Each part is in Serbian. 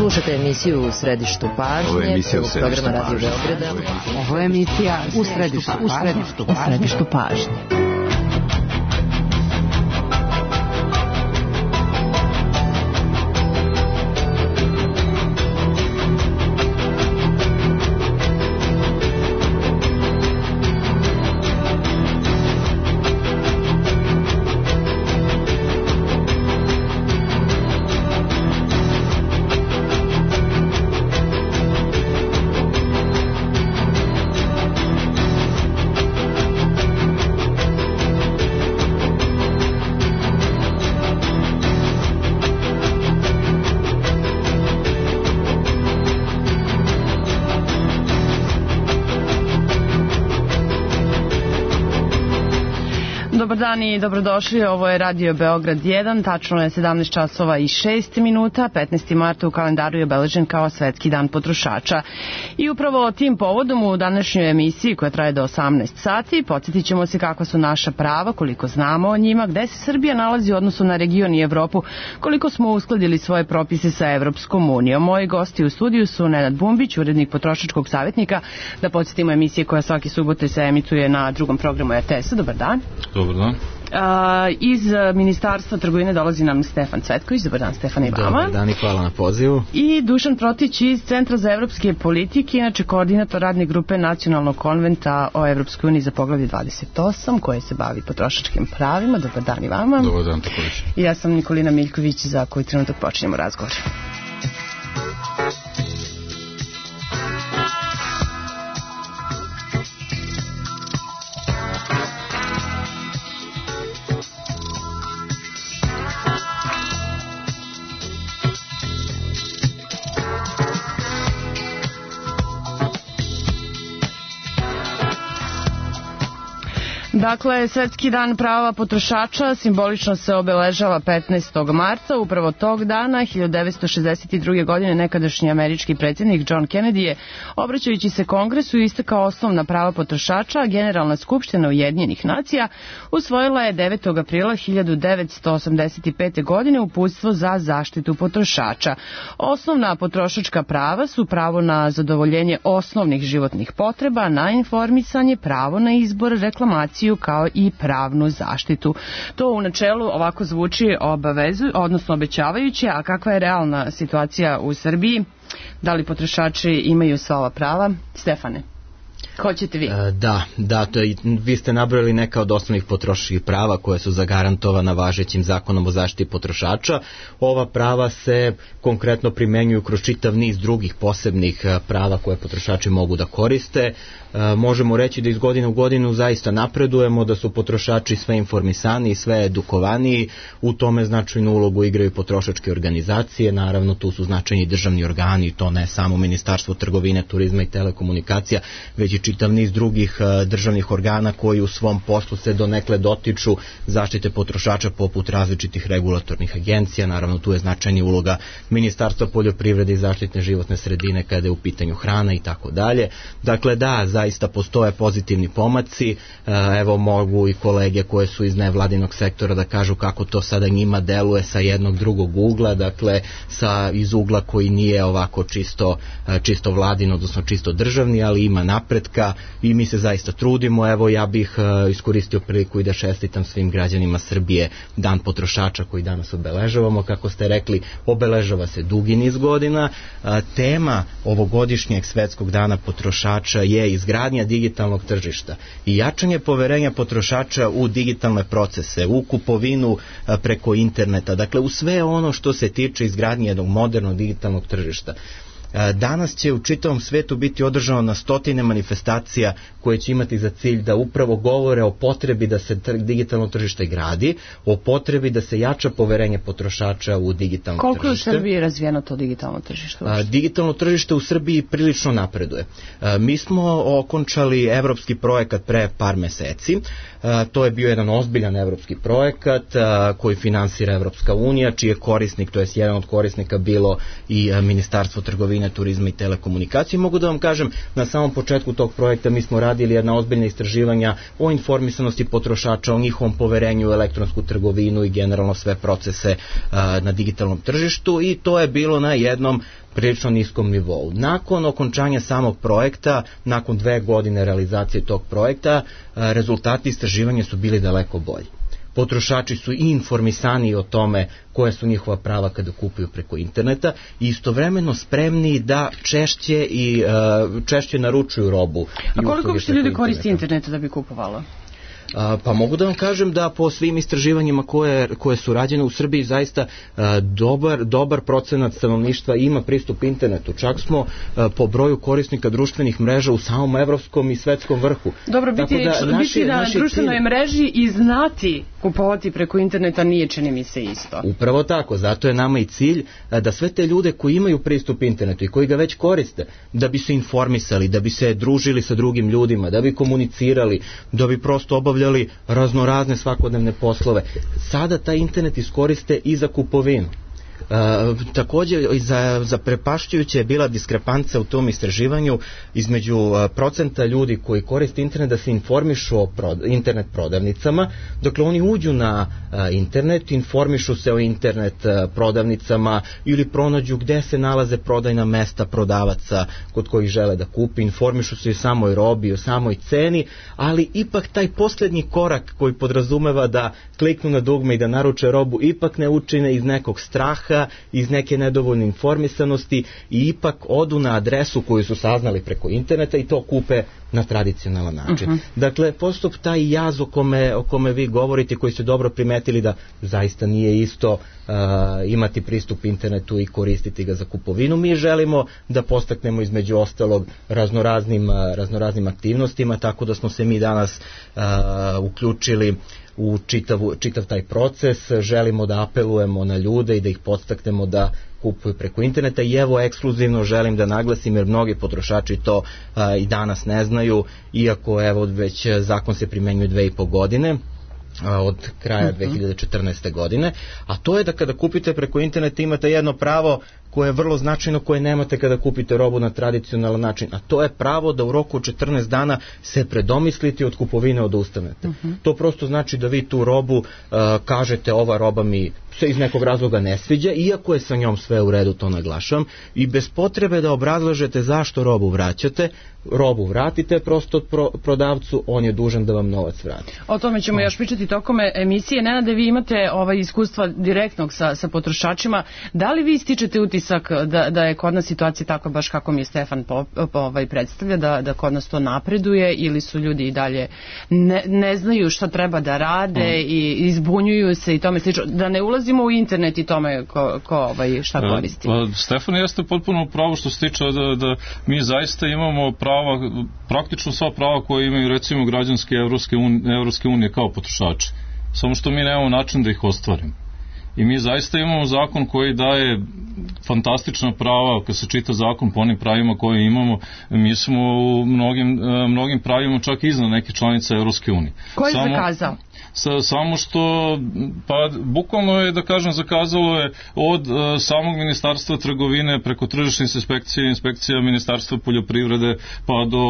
Slušate emisiju U središtu pažnje. Ovo je emisija U središtu programa Radio pažnje. Beograda. Ovo je emisija U središtu pažnje. Dobar dan i dobrodošli, ovo je Radio Beograd 1, tačno je 17 časova i 6 minuta, 15. marta u kalendaru je obeležen kao Svetski dan potrošača. I upravo tim povodom u današnjoj emisiji koja traje do 18 sati, podsjetit ćemo se kakva su naša prava, koliko znamo o njima, gde se Srbija nalazi u odnosu na region i Evropu, koliko smo uskladili svoje propise sa Evropskom unijom. Moji gosti u studiju su Nenad Bumbić, urednik potrošačkog savjetnika, da podsjetimo emisije koja svaki subote se emituje na drugom programu RTS-a. Dobar dan. Dobar dan. Iz Ministarstva trgovine dolazi nam Stefan Cvetković. Dobar dan, Stefan, i vama. Dobar dan i hvala na pozivu. I Dušan Protić iz Centra za evropske politike, inače koordinator radne grupe Nacionalnog konventa o Evropskoj uniji za poglavlje 28, koje se bavi potrošačkim pravima. Dobar dan i vama. Dobar dan, također. I ja sam Nikolina Miljković, za koji trenutak počinjemo razgovor. Dakle, Svetski dan prava potrošača simbolično se obeležava 15. marta. Upravo tog dana, 1962. godine, nekadašnji američki predsjednik John Kennedy je, obraćajući se Kongresu, istakao osnovna prava potrošača, a Generalna skupština Ujedinjenih nacija usvojila je 9. aprila 1985. godine uputstvo za zaštitu potrošača. Osnovna potrošačka prava su pravo na zadovoljenje osnovnih životnih potreba, na informisanje, pravo na izbor, reklamaciju, kao i pravnu zaštitu. To u načelu ovako zvuči obećavajuće, a kakva je realna situacija u Srbiji? Da li potrošači imaju sva ova prava? Stefane, hoćete vi? Vi ste nabrojali neka od osnovnih potrošačkih prava koje su zagarantovana važećim zakonom o zaštiti potrošača. Ova prava se konkretno primenjuju kroz čitav niz drugih posebnih prava koje potrošači mogu da koriste. Možemo reći da iz godine u godinu zaista napredujemo, da su potrošači sve informisaniji, sve edukovaniji, u tome značajnu ulogu igraju potrošačke organizacije, naravno tu su značajni državni organi, to ne samo Ministarstvo trgovine, turizma i telekomunikacija, već i čitav niz drugih državnih organa koji u svom poslu se donekle dotiču zaštite potrošača poput različitih regulatornih agencija, naravno tu je značajna uloga Ministarstva poljoprivrede i zaštitne životne sredine kada je u pitanju hrana i tako dalje. Dakle da, zaista postoje pozitivni pomaci, evo mogu i kolege koje su iz nevladinog sektora da kažu kako to sada njima deluje sa jednog drugog ugla, dakle iz ugla koji nije ovako čisto vladin, odnosno čisto državni, ali ima napretka i mi se zaista trudimo. Evo ja bih iskoristio priliku i da čestitam svim građanima Srbije Dan potrošača koji danas obeležavamo. Kako ste rekli, obeležava se dugi niz godina. Tema ovogodišnjeg Svetskog dana potrošača je izgradnja digitalnog tržišta i jačanje poverenja potrošača u digitalne procese, u kupovinu preko interneta, dakle u sve ono što se tiče izgradnje jednog modernog digitalnog tržišta. Danas će u čitavom svetu biti održano na stotine manifestacija koje će imati za cilj da upravo govore o potrebi da se digitalno tržište gradi, o potrebi da se jača poverenje potrošača u digitalno tržište. Koliko je u Srbiji razvijeno to digitalno tržište? Digitalno tržište u Srbiji prilično napreduje. Mi smo okončali evropski projekat pre par meseci. To je bio jedan ozbiljan evropski projekat koji finansira Evropska unija, čiji je korisnik, to jest jedan od korisnika bilo i Ministarstvo trgovine trgovine, turizma i telekomunikacije. Mogu da vam kažem, na samom početku tog projekta mi smo radili jedna ozbiljna istraživanja o informisanosti potrošača, o njihovom poverenju u elektronsku trgovinu i generalno sve procese na digitalnom tržištu, i to je bilo na jednom prilično niskom nivou. Nakon okončanja samog projekta, nakon 2 godine realizacije tog projekta, rezultati istraživanja su bili daleko bolji. Potrošači su i informisani o tome koje su njihova prava kada kupuju preko interneta i istovremeno spremni da češće naručuju robu. A koliko uopšte ljudi koristi interneta da bi kupovalo? Pa mogu da vam kažem da po svim istraživanjima koje su rađene u Srbiji zaista dobar procenat stanovništva ima pristup internetu. Čak smo po broju korisnika društvenih mreža u samom evropskom i svetskom vrhu. Dobro, biti na društvenoj mreži i znati kupovati preko interneta nije, čini mi se, isto. Upravo tako, zato je nama i cilj da sve te ljude koji imaju pristup internetu i koji ga već koriste, da bi se informisali, da bi se družili sa drugim ljudima, da bi komunicirali, da bi prosto obavljali raznorazne svakodnevne poslove. Sada taj internet iskoriste i za kupovinu. Također zaprepašćujuća je bila diskrepanca u tom istraživanju između procenta ljudi koji koriste internet da se informišu o internet prodavnicama. Dakle, oni uđu na internet, informišu se o internet prodavnicama ili pronađu gde se nalaze prodajna mesta prodavaca kod kojih žele da kupi, informišu se o samoj robi, o samoj ceni, ali ipak taj posljednji korak koji podrazumeva da kliknu na dugme i da naruče robu ipak ne učine iz nekog straha, iz neke nedovoljne informisanosti i ipak odu na adresu koju su saznali preko interneta i to kupe na tradicionalan način. Dakle, postup taj jaz o kome vi govorite, koji ste dobro primetili da zaista nije isto imati pristup internetu i koristiti ga za kupovinu. Mi želimo da podstaknemo između ostalog raznoraznim aktivnostima, tako da smo se mi danas uključili u čitav taj proces. Želimo da apelujemo na ljude i da ih podstaknemo da kupuju preko interneta i evo ekskluzivno želim da naglasim, jer mnogi potrošači to i danas ne znaju, iako evo već zakon se primenjuje 2,5 godine od kraja 2014. godine, a to je da kada kupite preko interneta imate jedno pravo koje je vrlo značajno, koje nemate kada kupite robu na tradicionalan način, a to je pravo da u roku od 14 dana se predomislite od kupovine odustanete. To prosto znači da vi tu robu kažete ova roba mi se iz nekog razloga ne sviđa, iako je sa njom sve u redu, to naglašavam, i bez potrebe da obrazlažete zašto robu vraćate, robu vratite prosto od prodavcu, on je dužan da vam novac vrati. O tome ćemo još pričati tokom emisije. Nenade, vi imate iskustva direktnog sa potrošačima. Da li vi stičete utisak da je kod nas situacija tako baš kako mi je Stefan predstavlja, da kod nas to napreduje, ili su ljudi i dalje ne znaju šta treba da rade i izbunjuju se i tome slično? Da ne ulazimo u internet i tome ko šta koristi. Stefan, jeste potpuno pravo što se tiče da mi zaista imamo prava, praktično sva prava koje imaju recimo građanske Evropske unije kao potrošači. Samo što mi nemamo način da ih ostvarimo. I mi zaista imamo zakon koji daje fantastična prava, kad se čita zakon po onim pravima koje imamo, mi smo u mnogim pravima čak iznad neke članice Evropske unije. Ko je zakazao? Samo što, pa bukvalno je, da kažem, zakazalo je od samog ministarstva trgovine preko tržišne inspekcija ministarstva poljoprivrede pa do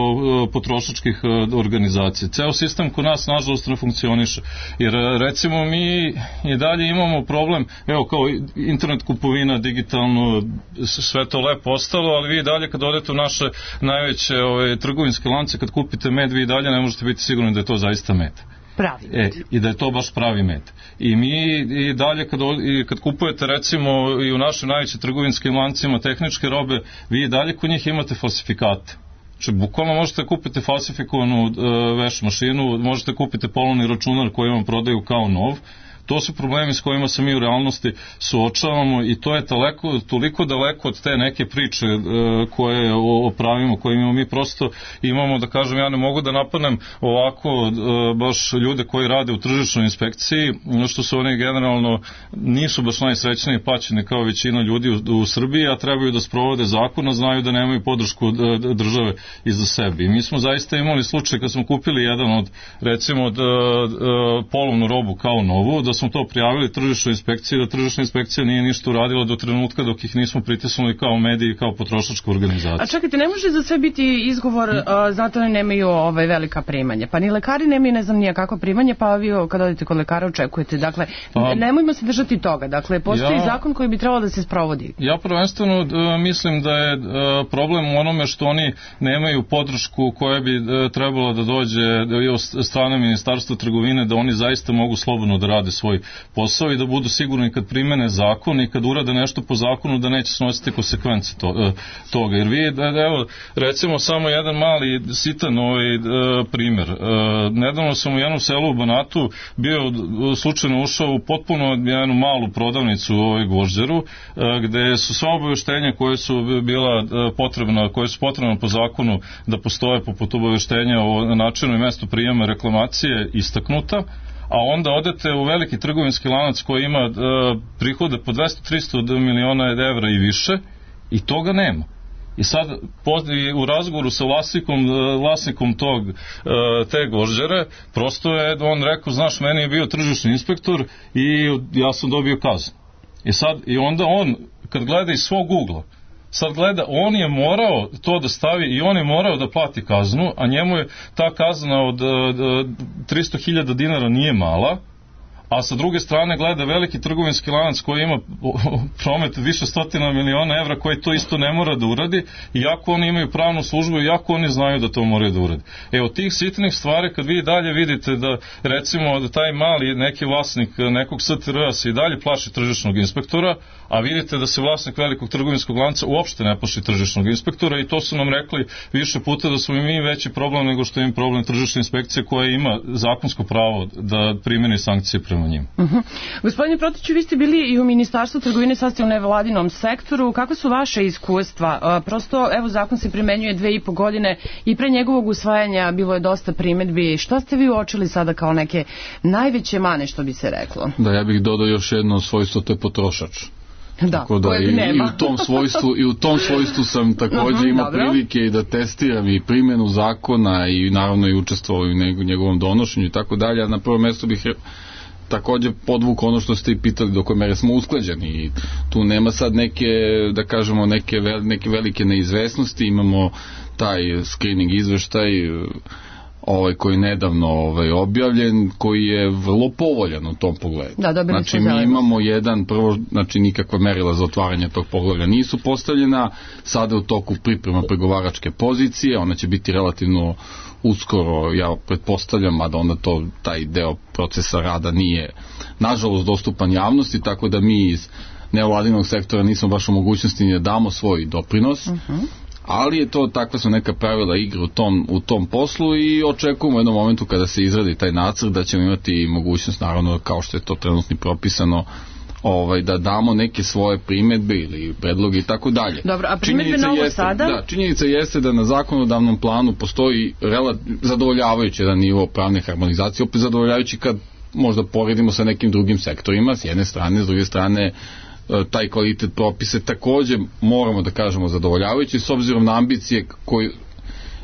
potrošačkih organizacija. Ceo sistem kod nas nažalost ne funkcioniše, jer recimo mi i dalje imamo problem, evo kao internet kupovina, digitalno, sve to lepo ostalo, ali vi i dalje kad odete u naše najveće trgovinske lance, kad kupite med, vi i dalje ne možete biti sigurni da je to zaista med. Pravi med. I da je to baš pravi med. I mi i dalje kad kupujete recimo i u našim najvećim trgovinskim lancima tehničke robe, vi i dalje kod njih imate falsifikate. Znači, bukvalno možete kupiti falsifikovanu veš mašinu, možete kupiti polovni računar koji vam prodaju kao nov. To su problemi s kojima se mi u realnosti suočavamo i to je toliko daleko od te neke priče koje o pravima koje imamo. Mi prosto imamo, da kažem, ja ne mogu da napadnem ovako baš ljude koji rade u tržišnoj inspekciji, što su oni generalno nisu baš najsrećniji plaćeni kao većina ljudi u Srbiji, a trebaju da sprovode zakon, a znaju da nemaju podršku države iza sebe. I mi smo zaista imali slučaj kad smo kupili jedan od, recimo, polovnu robu kao novu, da da smo to prijavili tržišnoj inspekciji, da tržišna inspekcija nije ništa uradila do trenutka dok ih nismo pritisnuli kao mediji, kao potrošačka organizacija. A čekajte, ne može za sve biti izgovor, znate, oni nemaju velika primanja. Pa ni lekari nemaju, ne znam nije kakva primanja, pa vi kad odete kod lekara očekujete. Dakle, nemojmo se držati toga. Dakle, postoji zakon koji bi trebalo da se sprovodi. Ja prvenstveno mislim da je problem u onome što oni nemaju podršku koja bi trebala da dođe od strane Ministarstva trgovine, da oni zaista mogu slobodno da rade svoj posao i da budu sigurni kad primene zakon i kad urade nešto po zakonu da neće snositi konsekvence toga. Jer vi, evo, recimo samo jedan mali sitan primjer. Nedavno sam u jednom selu u Banatu bio slučajno ušao u potpuno jednu malu prodavnicu u Gvožđeru, gde su sva obaveštenja koje su bila potrebna, koje su potrebna po zakonu da postoje poput obaveštenja o načinu i mestu prijema reklamacije istaknuta, a onda odete u veliki trgovinski lanac koji ima prihode po 200-300 miliona evra i više i toga nema. I sad u razgovoru sa vlasnikom te Gvožđere, prosto je on rekao, znaš, meni je bio tržišni inspektor i ja sam dobio kaznu. I onda on, kad gleda iz svog ugla, sad gleda, on je morao to da stavi i on je morao da plati kaznu, a njemu je ta kazna od 300.000 dinara nije mala, a sa druge strane gleda veliki trgovinski lanac koji ima promet više stotina miliona evra koji to isto ne mora da uradi, iako oni imaju pravnu službu i iako oni znaju da to moraju da uradi. Od tih sitnih stvari kad vi dalje vidite da recimo da taj mali neki vlasnik nekog STR-a se i dalje plaši tržišnog inspektora, a vidite da se vlasnik velikog trgovinskog lanca uopšte ne plaši tržišnog inspektora i to su nam rekli više puta da smo i mi veći problem nego što im problem tržišne inspekcije koja ima zakonsko pravo da primeni sankcije prema njima. Gospodine Protiću, vi ste bili i u Ministarstvu trgovine, sad ste u nevladinom sektoru. Kakve su vaše iskustva? Prosto, evo, zakon se primenjuje 2,5 godine i pre njegovog usvajanja bilo je dosta primedbi. Šta ste vi uočili sada kao neke najveće mane, što bi se reklo? Da, ja bih dodao još jedno svojstvo, to je potrošač. Da, tako da i u tom svojstvu sam također imao prilike i da testiram i primjenu zakona i naravno i učestvovao u njegovom donošenju i tako dalje. Na prvo mjesto bih također podvuk ono što ste i pitali do koje mere smo usklađeni i tu nema sad neke, da kažemo, neke velike neizvesnosti. Imamo taj screening izveštaj koji je nedavno objavljen, koji je vrlo povoljan u tom pogledu. Znači mi imamo nikakva merila za otvaranje tog poglavlja nisu postavljena, sada u toku priprema pregovaračke pozicije, ona će biti relativno uskoro, ja pretpostavljam, mada onda taj deo procesa rada nije nažalost dostupan javnosti, tako da mi iz nevladinog sektora nismo baš u mogućnosti da damo svoj doprinos, ali je to, takva su neka pravila igre u tom poslu i očekujemo u jednom momentu kada se izradi taj nacrt da ćemo imati mogućnost, naravno kao što je to trenutno propisano, da damo neke svoje primedbe ili predloge i tako dalje. Dobro, a primedbe novo sada? Da, činjenica jeste da na zakonodavnom planu postoji zadovoljavajući jedan nivo pravne harmonizacije, opet zadovoljavajući kad možda poredimo sa nekim drugim sektorima, s jedne strane, s druge strane taj kvalitet propise također moramo da kažemo zadovoljavajući s obzirom na ambicije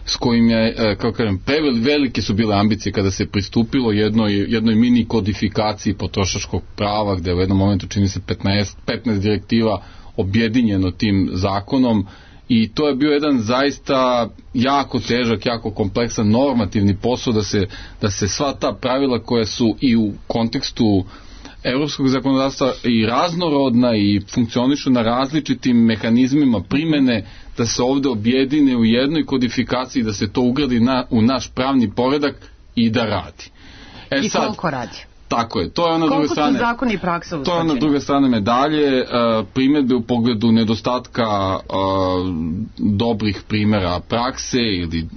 s kojim je, kao kažem, velike su bile ambicije kada se pristupilo jednoj mini kodifikaciji potrošačkog prava, gde u jednom momentu čini se 15 direktiva objedinjeno tim zakonom i to je bio jedan zaista jako težak, jako kompleksan normativni posao da se sva ta pravila koja su i u kontekstu evropskog zakonodavstva i raznorodna i funkcionišu na različitim mehanizmima primene, da se ovde objedine u jednoj kodifikaciji, da se to ugradi u naš pravni poredak i da radi. I koliko radi? Tako je, to je ona druga strane. Koliko su zakoni i praksa usklađeni? To je ona druga strane medalje, primjedbe u pogledu nedostatka dobrih primjera prakse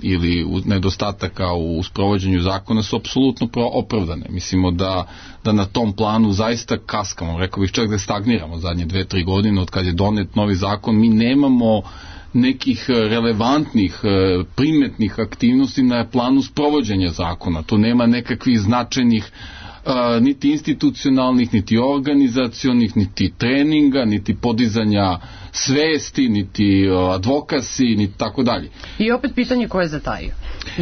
ili nedostataka u sprovođenju zakona su apsolutno opravdane. Mislimo da na tom planu zaista kaskamo, rekao bih čak da stagniramo zadnje 2-3 godine od kad je donet novi zakon. Mi nemamo nekih relevantnih, primetnih aktivnosti na planu sprovođenja zakona. Tu nema nekakvih značajnih niti institucionalnih, niti organizacionih, niti treninga, niti podizanja svesti, niti advokasi, niti tako dalje. I opet pitanje ko je zatajio?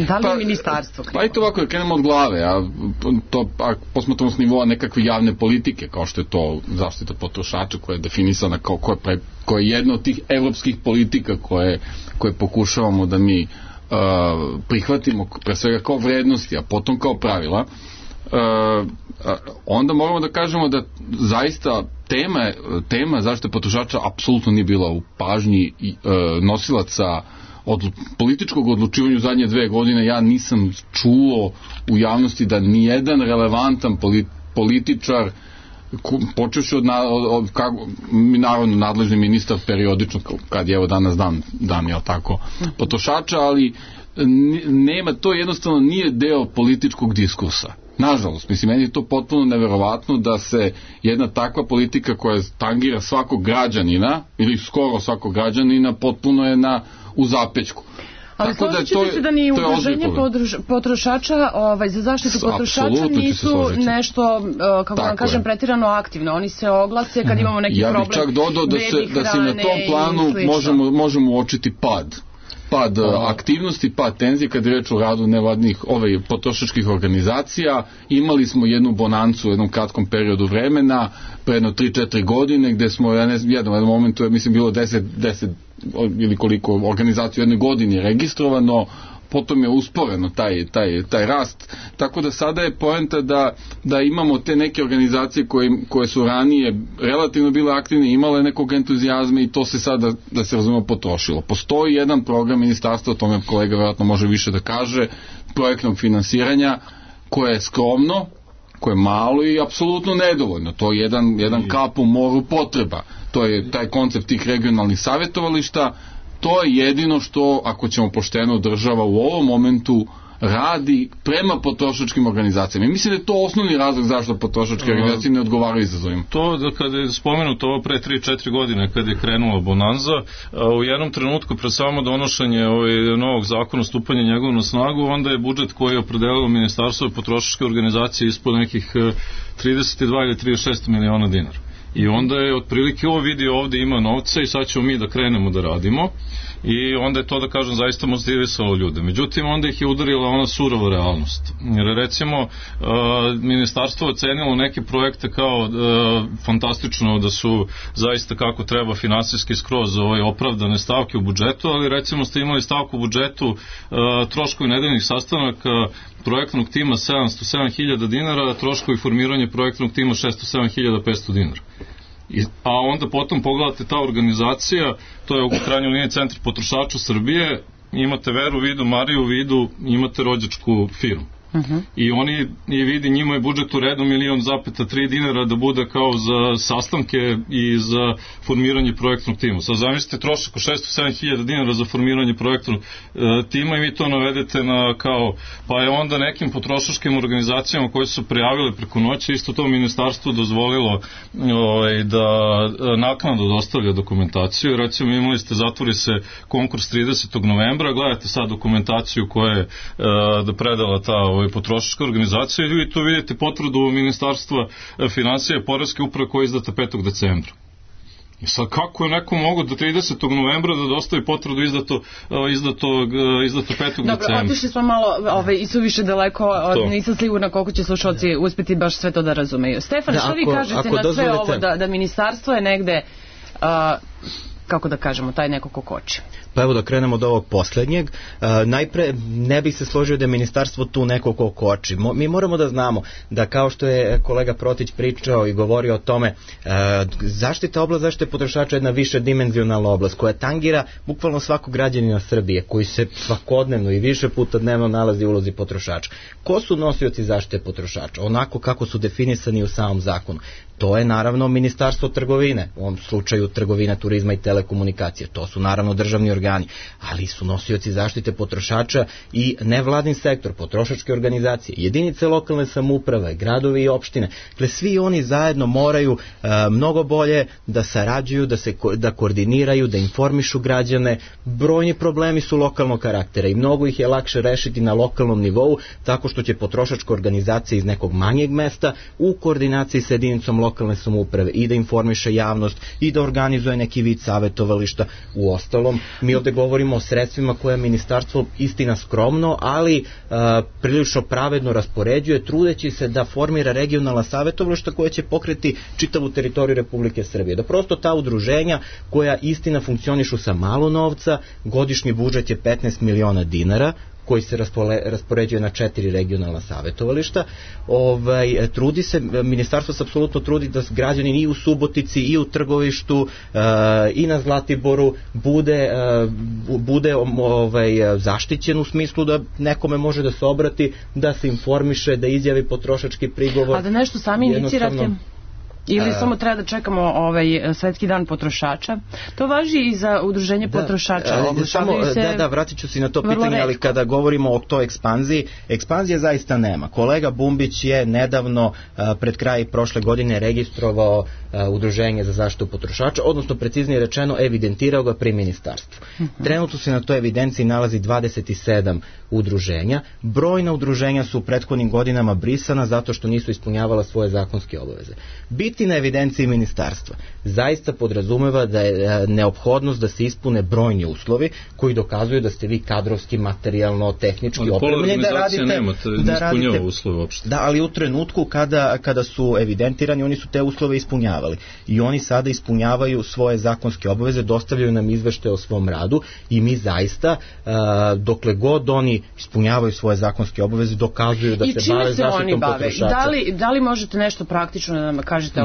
Da li je ministarstvo krivo? Pa i to ovako, krenemo od glave, a posmatramo s nivoa nekakve javne politike, kao što je to zaštita potrošača, koja je definisana koja je jedna od tih evropskih politika koje pokušavamo da mi prihvatimo pre svega kao vrednosti, a potom kao pravila. Onda moramo da kažemo da zaista tema zaštite potrošača apsolutno nije bila u pažnji nosilaca od političkog odlučivanja u zadnje 2 godine. Ja nisam čuo u javnosti da nijedan relevantan političar, počevši od naravno nadležni ministar periodično, kad je evo danas dan je tako potrošača, ali nema, to jednostavno nije deo političkog diskursa. Nažalost, mislim, meni je to potpuno neverovatno da se jedna takva politika koja tangira svakog građanina, ili skoro svakog građanina, potpuno je u zapećku. Ali složit ćete se da ni udruženje potrošača za zaštitu potrošača nisu nešto, kako vam kažem, pretirano aktivno. Oni se oglase kad imamo neki problem. Ja bih čak dodao da se na tom planu možemo uočiti pad aktivnosti, pad tenzije kad je reč o radu nevladnih potrošačkih organizacija. Imali smo jednu bonancu u jednom kratkom periodu vremena, pre jedno 3-4 godine, gde smo u jednom momentu, mislim, bilo 10 ili koliko organizacija u jednoj godini registrovano, potom je usporeno taj rast, tako da sada je poenta da imamo te neke organizacije koje su ranije relativno bile aktivne, imale nekog entuzijazma i to se sada, da se razumemo, potrošilo. Postoji jedan program ministarstva, o tome kolega vjerojatno može više da kaže, projektnog finansiranja, koje je skromno, koje je malo i apsolutno nedovoljno. To je jedan kap u moru potreba. To je taj koncept tih regionalnih savjetovališta. To je jedino što, ako ćemo pošteno, država u ovom momentu radi prema potrošačkim organizacijama. I mislim da je to osnovni razlog zašto potrošačke organizacije ne odgovaraju izazovima. To da kada je spomenuto ovo pre 3-4 godine kad je krenula bonanza, u jednom trenutku pred samo donošenje novog zakona, stupanje njegov na snagu, onda je budžet koji je opredelilo Ministarstvo potrošačke organizacije ispod nekih 32 ili 36 miliona dinara. I onda je otprilike vidio ovde ima novca i sad ćemo mi da krenemo da radimo i onda je to, da kažem, zaista motivisalo ljude. Međutim, onda ih je udarila ona surova realnost. Jer recimo ministarstvo ocenilo neke projekte kao fantastično, da su zaista kako treba finansijski skroz opravdane stavke u budžetu, ali recimo ste imali stavku u budžetu troškovi nedeljnih sastanaka projektnog tima 707.000 dinara, troškovi formiranja projektnog tima 607.500 dinara. A onda potom pogledate ta organizacija, to je u krajnjoj liniji Centar potrošača Srbije, imate Veru u vidu, Mariju u vidu, imate rođačku firmu. I oni vidi, njima je budžet u redu 1,3 dinara da bude kao za sastanke i za formiranje projektnog tima. Sad zamislite trošak od 607.000 dinara za formiranje projektnog tima i vi to navedete na kao, pa je onda nekim potrošačkim organizacijama koje su prijavile preko noći, isto to ministarstvo dozvolilo da naknadno dostavlja dokumentaciju. Recimo imali ste, zatvori se konkurs 30. novembra, gledajte sad dokumentaciju koja je da predala ta potrošačka organizacija i vi tu vidite potvrdu Ministarstva finansija i poreske uprave koja je izdata 5. decembra. I sad kako je neko mogo do 30. novembra da dostavi potvrdu izdato 5. decembra? Dobro, otišli smo malo i su više daleko, nisam sigurna koliko će slušalci uspeti baš sve to da razumeju. Stefan, što vi kažete na sve ovo da ministarstvo je negde, kako da kažemo, taj neko ko koči? Pa evo da krenemo od ovog poslednjeg. Najpre, ne bih se složio da je ministarstvo tu neko ko koči. Mi moramo da znamo da, kao što je kolega Protić pričao i govorio o tome, oblast zaštite potrošača je jedna više dimenzionalna oblast koja tangira bukvalno svakog građanina Srbije koji se svakodnevno i više puta dnevno nalazi u ulozi potrošača. Ko su nosioci zaštite potrošača? Onako kako su definisani u samom zakonu. To je naravno Ministarstvo trgovine, u ovom slučaju trgovina, turizma i telekomunikacije. To su naravno državni organi, ali su nosioci zaštite potrošača i nevladin sektor, potrošačke organizacije, jedinice lokalne samouprave, gradovi i opštine. Dakle, svi oni zajedno moraju mnogo bolje da sarađuju, da koordiniraju, da informišu građane. Brojni problemi su lokalnog karaktera i mnogo ih je lakše rešiti na lokalnom nivou tako što će potrošačka organizacija iz nekog manjeg mesta u koordinaciji sa jedinicom lokalne samouprave i da informiše javnost i da organizuje neki vid savetovališta. U ostalom, mi ovde govorimo o sredstvima koje ministarstvo istina skromno, ali prilično pravedno raspoređuje, trudeći se da formira regionalna savetovališta koja će pokreti čitavu teritoriju Republike Srbije. Da prosto ta udruženja koja istina funkcionišu sa malo novca, godišnji budžet je 15 miliona dinara, koji se raspoređuje na 4 regionalna savetovališta. Trudi se, ministarstvo se apsolutno trudi da građanin i u Subotici i u Trgovištu i na Zlatiboru bude zaštićen u smislu da nekome može da se obrati, da se informiše, da izjavi potrošački prigovor. A da nešto sami inicirate? Ili samo treba da čekamo Svetski dan potrošača? To važi i za udruženje potrošača. Vratit ću se na to pitanje, ali kada govorimo o toj ekspanzije zaista nema. Kolega Bumbić je nedavno pred kraj prošle godine registrovao udruženje za zaštitu potrošača, odnosno preciznije rečeno evidentirao ga pri ministarstvu. Trenutno se na toj evidenciji nalazi 27 udruženja. Brojna udruženja su u prethodnim godinama brisana zato što nisu ispunjavala svoje zakonske obaveze. Biti na evidenciji ministarstva zaista podrazumeva da je neophodnost da se ispune brojni uslovi koji dokazuju da ste vi kadrovski, materijalno, tehnički opremljeni da radite. Ne ispunjava uslove uopšte. Da, ali u trenutku kada su evidentirani, oni su te uslove ispunjavali. I oni sada ispunjavaju svoje zakonske obaveze, dostavljaju nam izveštaje o svom radu i mi zaista, dokle god oni ispunjavaju svoje zakonske obaveze, dokazuju da se bave zaštitom potrošača. Da li možete nešto praktično da nam kažete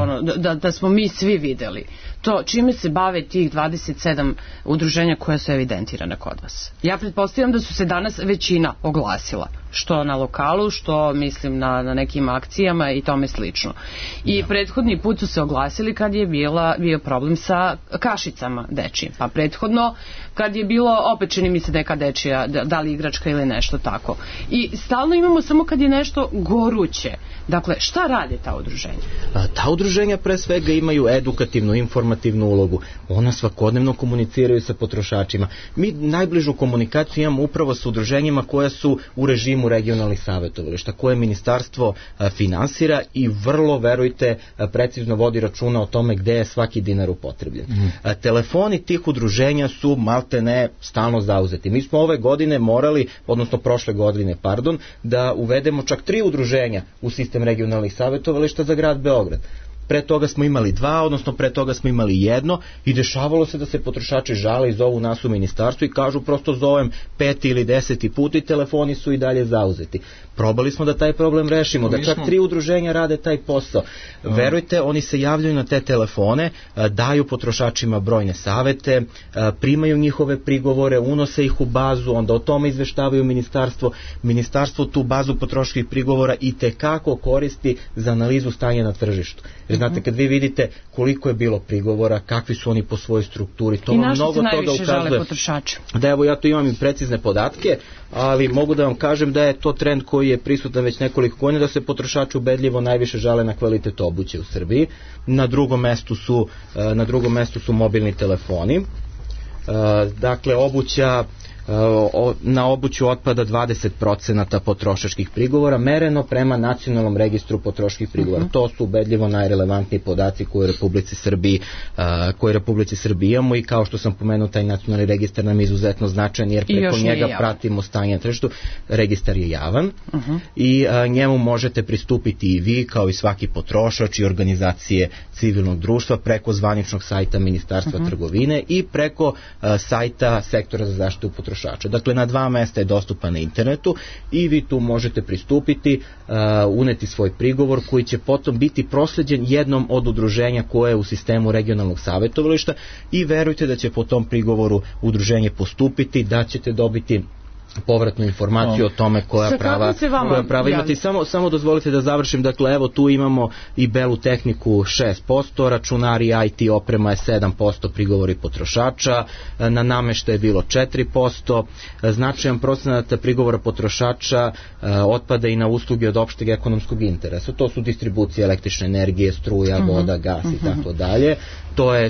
da smo mi svi videli to čime se bave tih 27 udruženja koja su evidentirane kod vas? Ja pretpostavljam da su se danas većina oglasila, što na lokalu, što mislim na nekim akcijama i tome slično. I prethodni put su se oglasili kad je bio problem sa kašicama dečijim, pa prethodno kad je bilo opet čini mi se neka dečija, da li igračka ili nešto tako. I stalno imamo samo kad je nešto goruće. Dakle, šta rade ta udruženja? Ta udruženja pre svega imaju edukativnu, informativnu ulogu. Ona svakodnevno komuniciraju sa potrošačima. Mi najbližu komunikaciju imamo upravo sa udruženjima koja su u režimu regionalnih savetovališta, koje ministarstvo finansira i vrlo, verujte, precizno vodi računa o tome gde je svaki dinar upotrebljen. Telefoni tih udruženja su maltene stalno zauzeti. Mi smo ove godine morali, odnosno prošle godine, da uvedemo čak 3 udruženja u sistem regionalnih savetovališta za grad Beograd. Pre toga smo imali 2, odnosno pre toga smo imali 1 i dešavalo se da se potrošači žale i zovu nas u ministarstvu i kažu prosto zovem 5. ili 10. put i telefoni su i dalje zauzeti. Probali smo da taj problem rešimo, da čak 3 udruženja rade taj posao. Verujte, oni se javljaju na te telefone, daju potrošačima brojne savete, primaju njihove prigovore, unose ih u bazu, onda o tome izveštavaju ministarstvo. Ministarstvo tu bazu potrošačkih prigovora i tekako koristi za analizu stanja na tržištu. Jer znate, kad vi vidite koliko je bilo prigovora, kakvi su oni po svojoj strukturi, to vam mnogo toga ukazuje. I na što se najviše žale potrošači? Da, evo ja tu imam i precizne podatke, ali mogu da vam kažem da je to trend koji je prisutan već nekoliko godina, da se potrošači ubedljivo najviše žale na kvalitet obuće u Srbiji. Na drugom mestu su mobilni telefoni. Dakle, na obuću otpada 20% potrošačkih prigovora, mereno prema nacionalnom registru potrošačkih prigovora. To su ubedljivo najrelevantniji podaci koje u Republici Srbiji imamo i kao što sam pomenuo, taj nacionalni registar nam je izuzetno značajan jer preko njega pratimo stanje na tržištu. Registar je javan i njemu možete pristupiti i vi kao i svaki potrošač i organizacije civilnog društva preko zvaničnog sajta Ministarstva trgovine i preko sajta Sektora za zaštitu potrošača. Dakle, na 2 mesta je dostupan na internetu i vi tu možete pristupiti, uneti svoj prigovor koji će potom biti prosleđen jednom od udruženja koje je u sistemu regionalnog savetovališta i verujte da će po tom prigovoru udruženje postupiti, da ćete dobiti povratnu informaciju o tome koja prava imate. I samo dozvolite da završim, dakle evo tu imamo i belu tehniku 6%, računari, IT oprema je 7%, prigovori potrošača, na nameštaj je bilo 4%, značajan procenat prigovora potrošača otpada i na usluge od opšteg ekonomskog interesa. To su distribucija električne energije, struja, voda, gas i tako dalje.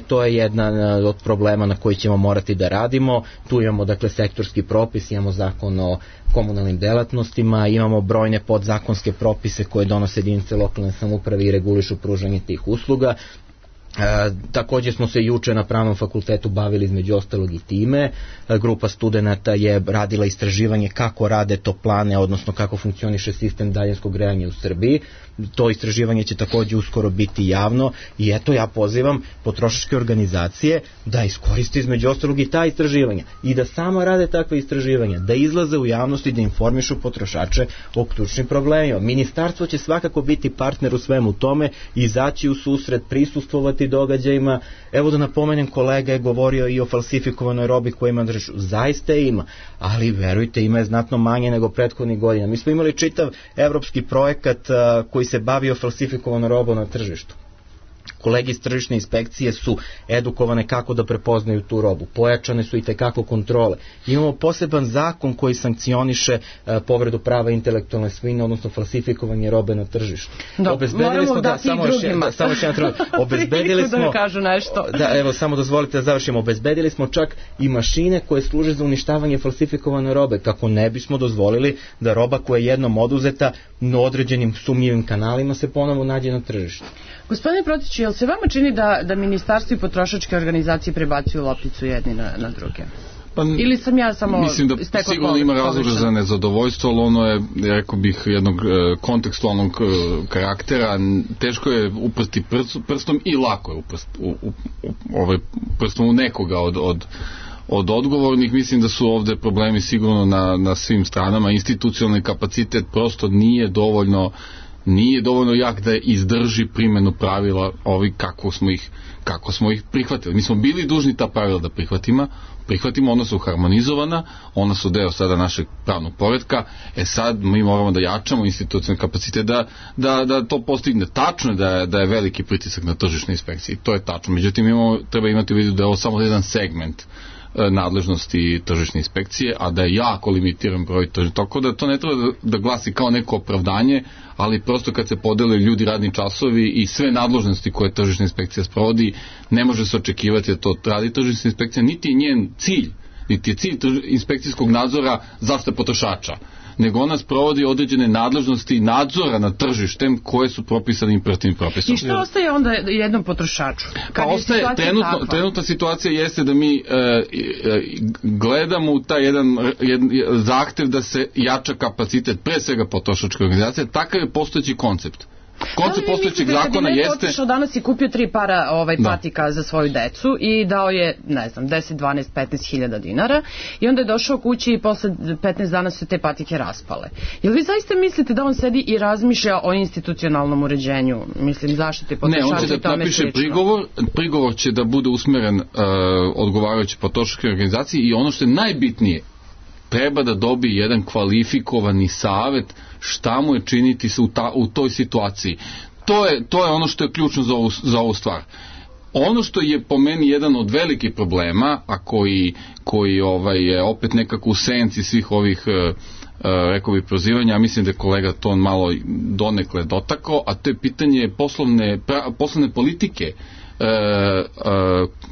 To je jedan od problema na koji ćemo morati da radimo. Tu imamo dakle sektorski propis, imamo zakon o komunalnim delatnostima, imamo brojne podzakonske propise koje donose jedinice lokalne samouprave i regulišu pružanje tih usluga. Takođe smo se juče na Pravnom fakultetu bavili između ostalog i time. Grupa studenata je radila istraživanje kako rade toplane, odnosno kako funkcioniše sistem daljinskog grejanja u Srbiji. To istraživanje će takođe uskoro biti javno i eto ja pozivam potrošačke organizacije da iskoriste između ostalog i ta istraživanja i da sama rade takve istraživanja, da izlaze u javnost i da informišu potrošače o ključnim problemima. Ministarstvo će svakako biti partner u svemu tome, izaći u susret, prisustvovati događajima. Evo da napomenem, kolega je govorio i o falsifikovanoj robi koja ima zaista ima, ali verujte, ima je znatno manje nego prethodnih godina. Mi smo imali čitav evropski projekat koji se bavio falsifikovanom robom na tržištu. Kolege iz tržišne inspekcije su edukovane kako da prepoznaju tu robu. Pojačane su i tekako kontrole. Imamo poseban zakon koji sankcioniše povredu prava intelektualne svojine, odnosno falsifikovanje robe na tržištu. Obezbedili smo obezbedili smo da kažu nešto. Da, evo samo dozvolite da završimo. Obezbedili smo čak i mašine koje služe za uništavanje falsifikovane robe, kako ne bismo dozvolili da roba koja je jednom oduzeta na određenim sumnjivim kanalima se ponovo nađe na tržištu. Gospodine Protiću, jel se vama čini da ministarstvo i potrošačke organizacije prebacuju lopticu jedni na druge? Ili sam ja samo mislim da sigurno ima razloga za nezadovoljstvo, ali ono je, rekao bih, jednog kontekstualnog karaktera. Teško je uprsti prstom i lako je prstom u nekoga od odgovornih. Mislim da su ovde problemi sigurno na svim stranama. Institucionalni kapacitet prosto nije dovoljno jak da izdrži primjenu pravila kako smo ih prihvatili. Mi smo bili dužni ta pravila da prihvatimo, ona su harmonizovana, ona su deo sada našeg pravnog poretka, sad mi moramo da jačamo institucionalni kapacitet da to postigne. Tačno je da je veliki pritisak na tržišne inspekcije, to je tačno, međutim treba imati u vidu da je ovo samo jedan segment nadležnosti tržišne inspekcije, a da je jako limitiran broj tržišta. Tako da to ne treba da glasi kao neko opravdanje, ali prosto kad se podele ljudi, radni časovi i sve nadležnosti koje tržišna inspekcija sprovodi, ne može se očekivati da to radi tržišna inspekcija, niti je njen cilj, niti je cilj inspekcijskog nadzora zaštita potrošača, nego ona sprovodi određene nadležnosti nadzora nad tržištem koje su propisane imperativnim propisom. I što ostaje onda jednom potrošaču? Ostaje, trenutna situacija jeste da mi gledamo u taj jedan zahtev da se jača kapacitet pre svega potrošačke organizacije. Takav je postojeći koncept. Koncept postojećeg zakona jeste... Da li otišao danas i kupio 3 para patika za svoju decu i dao je, ne znam, 10, 12, 15 hiljada dinara i onda je došao kući i posle 15 dana su te patike raspale. Jel vi zaista mislite da on sedi i razmišlja o institucionalnom uređenju, mislim, zaštite potrošača? Ne, on će da napiše prigovor će da bude usmeren odgovarajući potrošačkoj organizaciji i ono što je najbitnije, treba da dobije jedan kvalifikovani savet šta mu je činiti u toj situaciji. To je ono što je ključno za ovu stvar. Ono što je po meni jedan od velikih problema, a koji je opet nekako u senci svih ovih rekao bih prozivanja, mislim da je kolega to malo donekle dotakao, a to je pitanje poslovne politike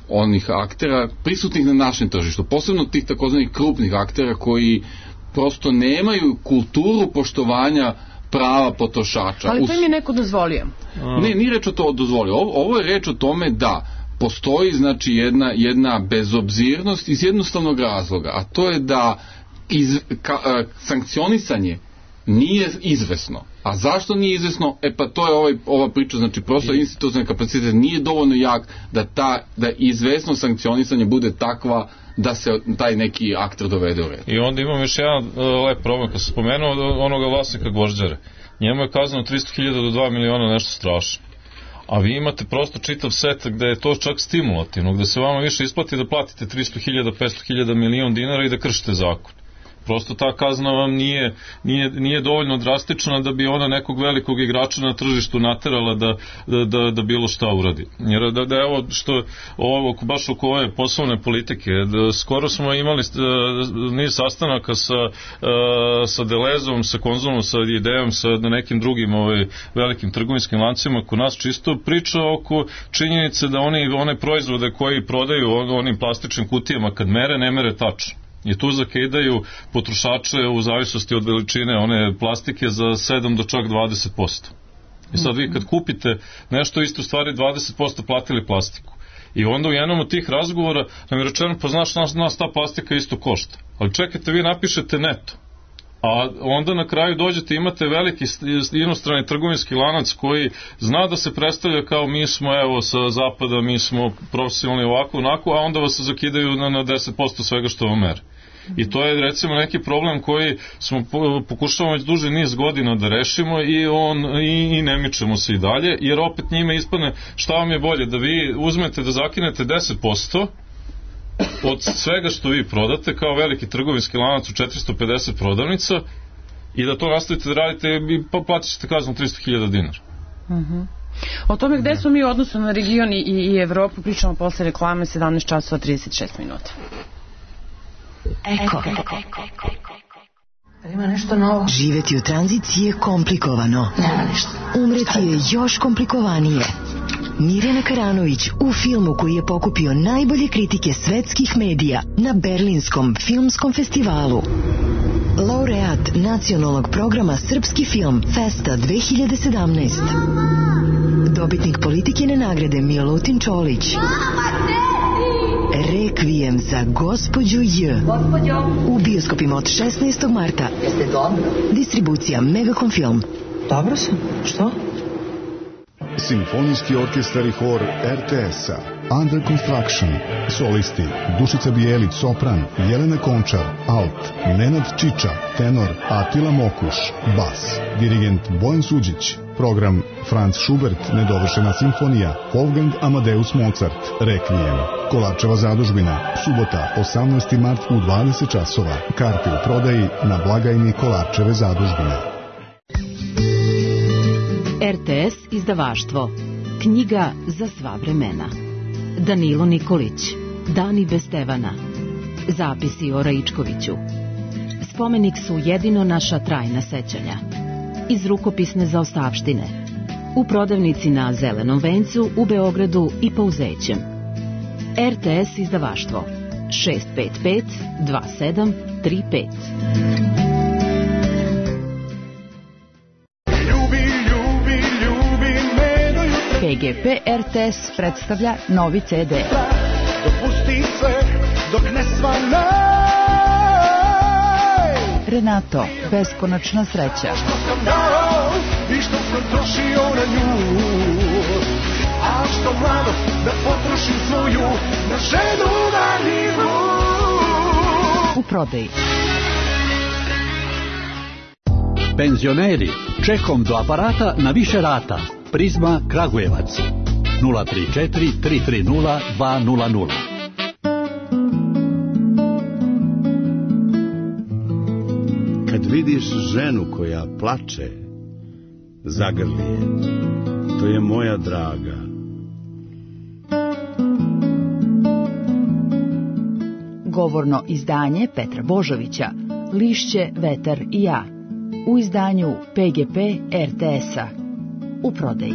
onih aktera prisutnih na našem tržištu, posebno tih takozvanih krupnih aktera koji prosto nemaju kulturu poštovanja prava potrošača. Ali to im je neko dozvolio. Ne, nije reč o to dozvolio. Ovo je reč o tome da postoji znači jedna bezobzirnost iz jednostavnog razloga, a to je da sankcionisanje nije izvesno. A zašto nije izvesno? Pa to je ova priča, znači prosto institucionalni kapacitet nije dovoljno jak da izvesno sankcionisanje bude takva da se taj neki akter dovede u red. I onda imam još jedan lep problem, kad sam spomenuo onoga vlasnika gvožđare. Njemu je kazano 300.000 do 2 miliona, nešto strašno. A vi imate prosto čitav set gde je to čak stimulativno, gde se vama više isplati da platite 300.000, 500.000, milion dinara i da kršite zakon. Prosto ta kazna vam nije dovoljno drastična da bi ona nekog velikog igrača na tržištu naterala da bilo šta uradi. Jer da evo što baš oko ove poslovne politike, skoro smo imali niz sastanaka sa Delezom, sa Konzumom, sa Idejom, sa nekim drugim velikim trgovinskim lancima kod nas, čisto priča oko činjenice da one proizvode koji prodaju onim plastičnim kutijama kad mere, ne mere tačno. I tu zakidaju potrošače u zavisnosti od veličine one plastike za 7 do čak 20%. I sad vi kad kupite nešto, isto u stvari 20% platili plastiku. I onda u jednom od tih razgovora nam je rečeno, pa znaš, nas ta plastika isto košta. Ali čekajte, vi napišete neto. A onda na kraju dođete, imate veliki inostrani trgovinski lanac koji zna da se predstavlja kao mi smo evo sa zapada, mi smo profesionalni ovako, onako, a onda vas zakidaju na 10% svega što vam mere. I to je recimo neki problem koji smo pokušavamo već duži niz godina da rešimo i ne mičemo se i dalje, jer opet njime ispadne šta vam je bolje, da vi uzmete da zakinete 10% od svega što vi prodate kao veliki trgovinski lanac u 450 prodavnica i da to nastavite da radite i platit ćete kaznu 300.000 dinara. O tome gde smo mi u odnosu na region i Evropu pričamo posle reklame 17 časova 36 minuta. Eko. Ima nešto novo. Živeti u tranziciji je komplikovano. Nema ništa. Umreti je još komplikovanije. Mirjana Karanović u filmu koji je pokupio najbolje kritike svetskih medija na Berlinskom filmskom festivalu. Laureat nacionalnog programa Srpski film Festa 2017. Dobitnik Politikine nagrade Milutin Čolić. Rekvijem za gospođu J. U bioskopima od 16. marta. Jeste dobro? Distribucija Megacom Film. Dobro sam. Što? Simfonijski orkestar i hor RTS-a. Under Construction. Solisti Dušica Bijelić, sopran, Jelena Končar, alt, Nenad Čiča, tenor, Atila Mokuš, bas, dirigent Bojan Suđić. Program Franz Schubert, nedovršena simfonija, Wolfgang Amadeus Mozart, Rekvijem. Kolarčeva zadužbina, subota 18. mart u 20 časova. Karte u prodaji na blagajni Kolarčeve zadužbine. RTS izdavaštvo. Knjiga za sva vremena. Danilo Nikolić. Dani bez Stevana. Zapisi o Raičkoviću. Spomenik su jedino naša trajna sećanja. Iz rukopisne zaostavštine. U prodavnici na Zelenom vencu u Beogradu i Pouzećem. RTS izdavaštvo. 655 2735. PGP RTS predstavlja novi CD. Dopusti sve dok ne svane. Renato, beskonačna sreća. Što sam dao i što sam trošio na nju. A što mladost da potrošim svoju na ženu daljivu. U prodaji. Penzioneri, čekom do aparata na više rata. Prizma Kragujevac 034 330 200. Kad vidiš ženu koja plače, zagrli je. To je moja draga. Govorno izdanje Petra Božovića, Lišće, vetar i ja. U izdanju PGP RTS-a. U prodaji.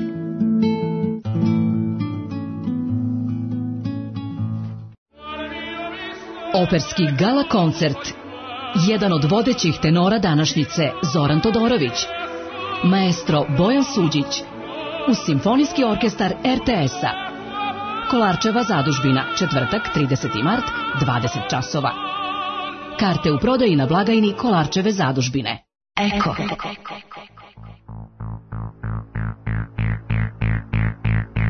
Operski gala koncert. Jedan od vodećih tenora današnjice, Zoran Todorović. Maestro Bojan Suđić. Uz Simfonijski orkestar RTS-a. Kolarčeva zadužbina, četvrtak, 30. mart, 20 časova. Karte u prodaji na blagajni Kolarčeve zadužbine. Eko.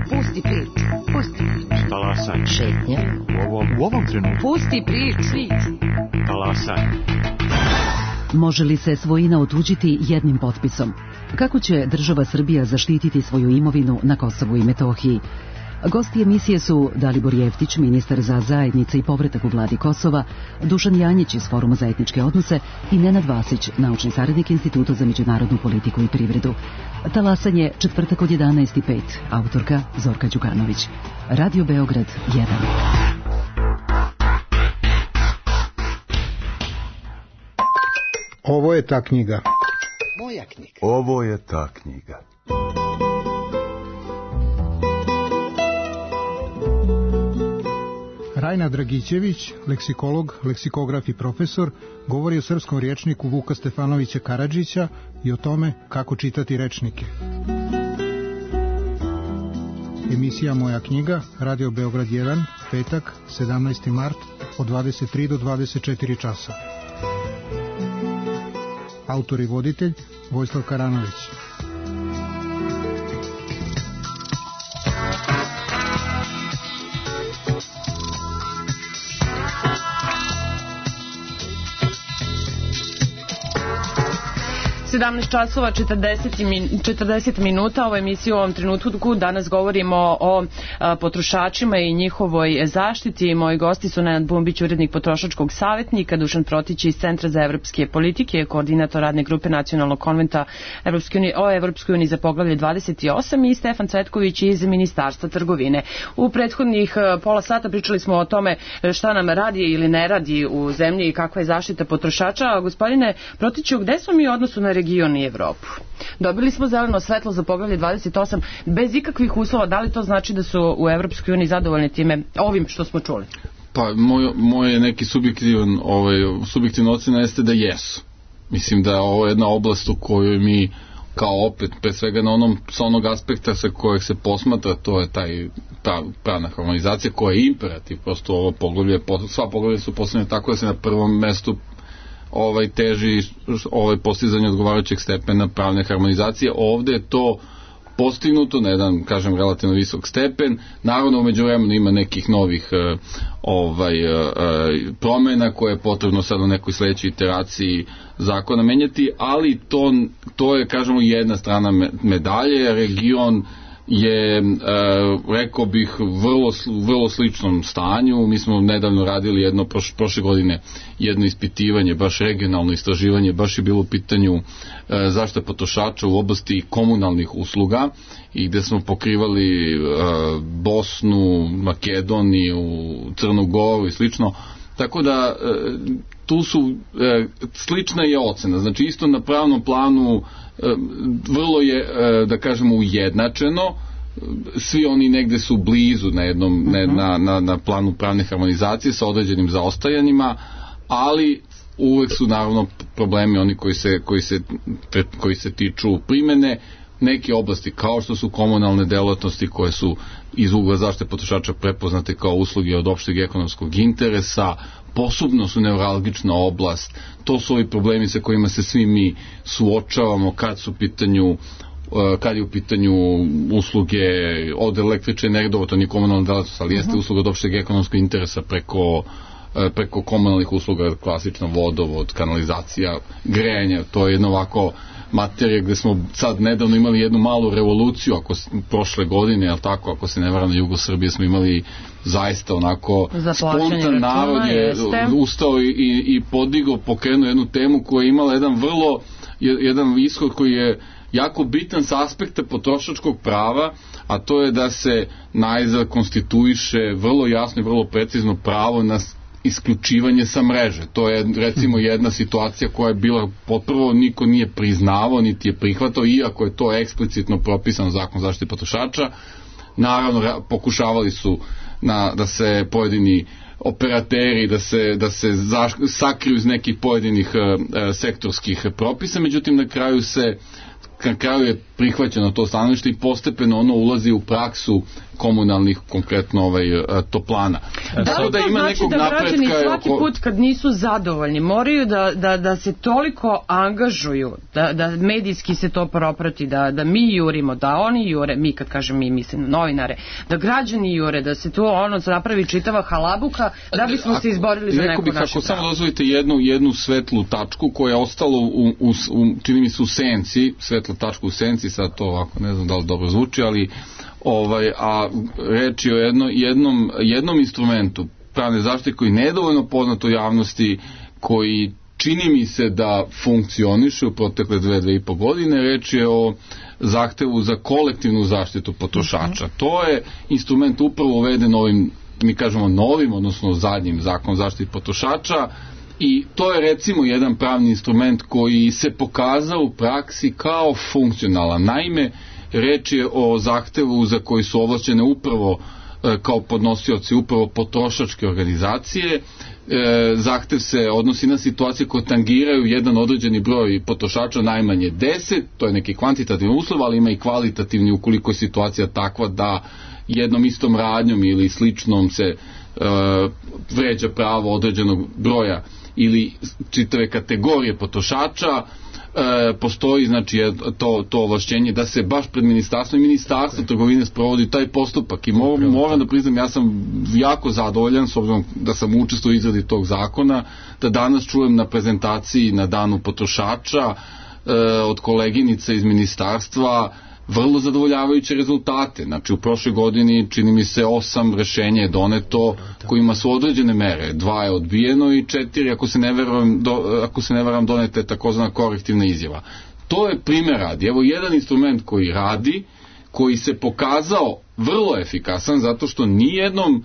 Pusti priču. Pusti priču. Talasaj. Šetnja. U ovom trenutku. Pusti priču. Talasaj. Može li se svojina otuđiti jednim potpisom? Kako će država Srbija zaštititi svoju imovinu na Kosovu i Metohiji? Gosti emisije su Dalibor Jeftić, ministar za zajednice i povratak u vladi Kosova, Dušan Janjić iz Foruma za etničke odnose i Nenad Vasić, naučni saradnik Instituta za međunarodnu politiku i privredu. Talasanje četvrtak od 11:05, autorka Zorka Đukanović. Radio Beograd 1. Ovo je ta knjiga. Moja knjiga. Ovo je ta knjiga. Rajna Dragićević, leksikolog, leksikograf i profesor, govori o srpskom rječniku Vuka Stefanovića Karadžića i o tome kako čitati rečnike. Emisija Moja knjiga, Radio Beograd 1, petak, 17. mart, od 23 do 24 časa. Autor i voditelj Vojislav Karanović. časova 40 minuta. Ovo je emisija u ovom trenutku. Danas govorimo o potrošačima i njihovoj zaštiti. Moji gosti su Nenad Bumbić, urednik Potrošačkog savjetnika, Dušan Protić iz Centra za evropske politike, koordinator radne grupe Nacionalnog konventa o Evropskoj uniji za poglavlje 28 i Stefan Cvetković iz Ministarstva trgovine. U prethodnih pola sata pričali smo o tome šta nam radi ili ne radi u zemlji i kakva je zaštita potrošača. A gospodine Protiću, gde smo mi u odnosu na region i Evropu? Dobili smo zeleno svetlo za poglavlje 28 bez ikakvih uslova. Da li to znači da su u Evropskoj uniji zadovoljni time, ovim što smo čuli? Pa moj neki subjektivna ocena jeste da jesu. Mislim da je ovo jedna oblast u kojoj mi kao opet, pre svega sa onog aspekta sa kojeg se posmatra, to je ta pravna harmonizacija koja je imperativ. Prosto ovo poglavlje, sva poglavlja su postavljene tako da se na prvom mestu teži postizanje odgovarajućeg stepena pravne harmonizacije. Ovde je to postignuto na jedan, kažem, relativno visok stepen. Naravno, umeđu vremenu ima nekih novih promjena koje je potrebno sad u nekoj sledećoj iteraciji zakona menjati, ali to je, kažemo, jedna strana medalje. Region je, rekao bih, vrlo sličnom stanju. Mi smo nedavno radili prošle godine jedno ispitivanje, baš regionalno istraživanje, baš je bilo u pitanju zaštita potrošača u oblasti komunalnih usluga i gde smo pokrivali Bosnu, Makedoniju, Crnu Goru i slično. Tako da tu su slična je ocena. Znači isto na pravnom planu vrlo je, da kažemo, ujednačeno. Svi oni negde su blizu na planu pravne harmonizacije sa određenim zaostajanjima, ali uvek su naravno problemi oni koji se tiču primene. Neke oblasti kao što su komunalne delatnosti koje su iz ugla zaštite potrošača prepoznate kao usluge od opšteg ekonomskog interesa, posebno su neuralgična oblast. To su ovi problemi sa kojima se svi mi suočavamo kad je u pitanju usluge od električne energije, to nije komunalna delatnost, ali jeste usluga od opšteg ekonomskog interesa preko komunalnih usluga, klasično vodovod, kanalizacija, grejanje. To je jedno ovako materija gde smo sad nedavno imali jednu malu revoluciju, prošle godine, ali tako, ako se ne varam, na jugu Srbije smo imali zaista onako spontan narod je ustao i pokrenuo jednu temu koja je imala jedan ishod koji je jako bitan sa aspekta potrošačkog prava, a to je da se najzad konstituiše vrlo jasno i vrlo precizno pravo na isključivanje sa mreže. To je recimo jedna situacija koja je bila potprvo niko nije priznavao niti je prihvatao, iako je to eksplicitno propisano zakon zaštite potrošača. Naravno pokušavali su da se pojedini operateri da se sakriju iz nekih pojedinih sektorskih propisa, međutim na kraju je prihvaćeno to stanovište i postepeno ono ulazi u praksu komunalnih, konkretno toplana. Da li to znači da građani svaki put kad nisu zadovoljni moraju da se toliko angažuju, da medijski se to proprati, da mi jurimo, da oni jure, mi kad kažem mi mislim na novinare, da građani jure, da se to napravi čitava halabuka da bismo se izborili za neko naše pravo? Ako samo dozvolite jednu svetlu tačku koja je ostala čini mi se u senci, svetla tačka u senci, sad to ovako ne znam da li dobro zvuči, ali a reč je o jednom instrumentu pravne zaštite koji je nedovoljno poznat u javnosti, koji čini mi se da funkcioniše u protekle 2,5 godine. Reč je o zahtevu za kolektivnu zaštitu potrošača. To je instrument upravo uveden ovim, mi kažemo novim, odnosno zadnjim zakonom zaštiti potrošača, i to je recimo jedan pravni instrument koji se pokazao u praksi kao funkcionalan. Naime, reč je o zahtevu za koji su ovlašćene upravo kao podnosioci upravo potrošačke organizacije. Zahtev se odnosi na situacije koje tangiraju jedan određeni broj potrošača, najmanje 10, to je neki kvantitativni uslov, ali ima i kvalitativni ukoliko je situacija takva da jednom istom radnjom ili sličnom se vređa pravo određenog broja ili čitave kategorije potrošača. Postoji znači to ovlašćenje da se baš pred ministarstvo trgovine sprovodi taj postupak i moram da priznam, ja sam jako zadovoljan s obzirom da sam učestvovao u izradi tog zakona, da danas čujem na prezentaciji na danu potrošača od koleginice iz ministarstva vrlo zadovoljavajuće rezultate. Znači u prošloj godini čini mi se 8 rešenja je doneto kojima su određene mere, 2 je odbijeno i 4 ako se ne varam donete takozvana korektivna izjava. To je primjer radi. Evo jedan instrument koji radi, koji se pokazao vrlo efikasan zato što nijednom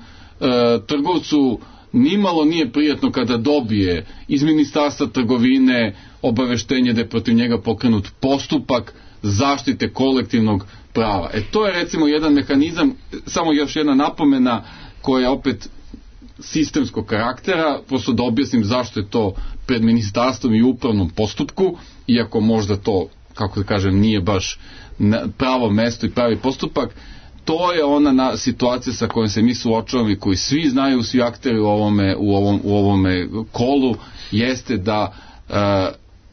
trgovcu nimalo nije prijatno kada dobije iz ministarstva trgovine obaveštenje da je protiv njega pokrenut postupak zaštite kolektivnog prava. To je recimo jedan mehanizam, samo još jedna napomena koja je opet sistemskog karaktera, prosto da objasnim zašto je to pred ministarstvom i upravnom postupku, iako možda to, kako da kažem, nije baš pravo mesto i pravi postupak. To je ona situacija sa kojom se mi suočavamo i koji svi znaju, svi akteri u ovome kolu, jeste da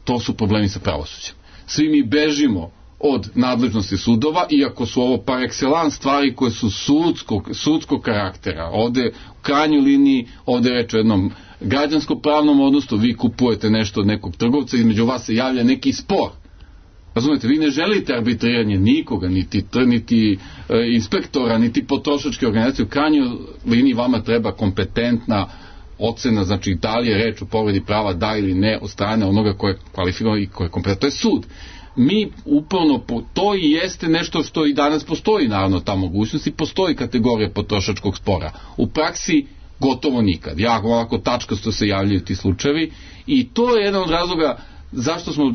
to su problemi sa pravosuđem. Svi mi bežimo od nadležnosti sudova, iako su ovo par excellence stvari koje su sudskog karaktera. Ovde u krajnjoj liniji, ovde je reč o jednom građansko-pravnom odnosu, vi kupujete nešto od nekog trgovca, između vas se javlja neki spor. Razumete, vi ne želite arbitriranje nikoga, niti inspektora, niti potrošačke organizacije. U krajnjoj liniji vama treba kompetentna ocena, znači da li je reč o povredi prava, da ili ne, od strane onoga koje je kvalifikovano i koje je kompetentno. To je sud. Mi upravo, to i jeste nešto što i danas postoji, naravno, ta mogućnost i postoji kategorija potrošačkog spora. U praksi gotovo nikad. Jako ovako tačkasto se javljaju ti slučajevi i to je jedan od razloga zašto smo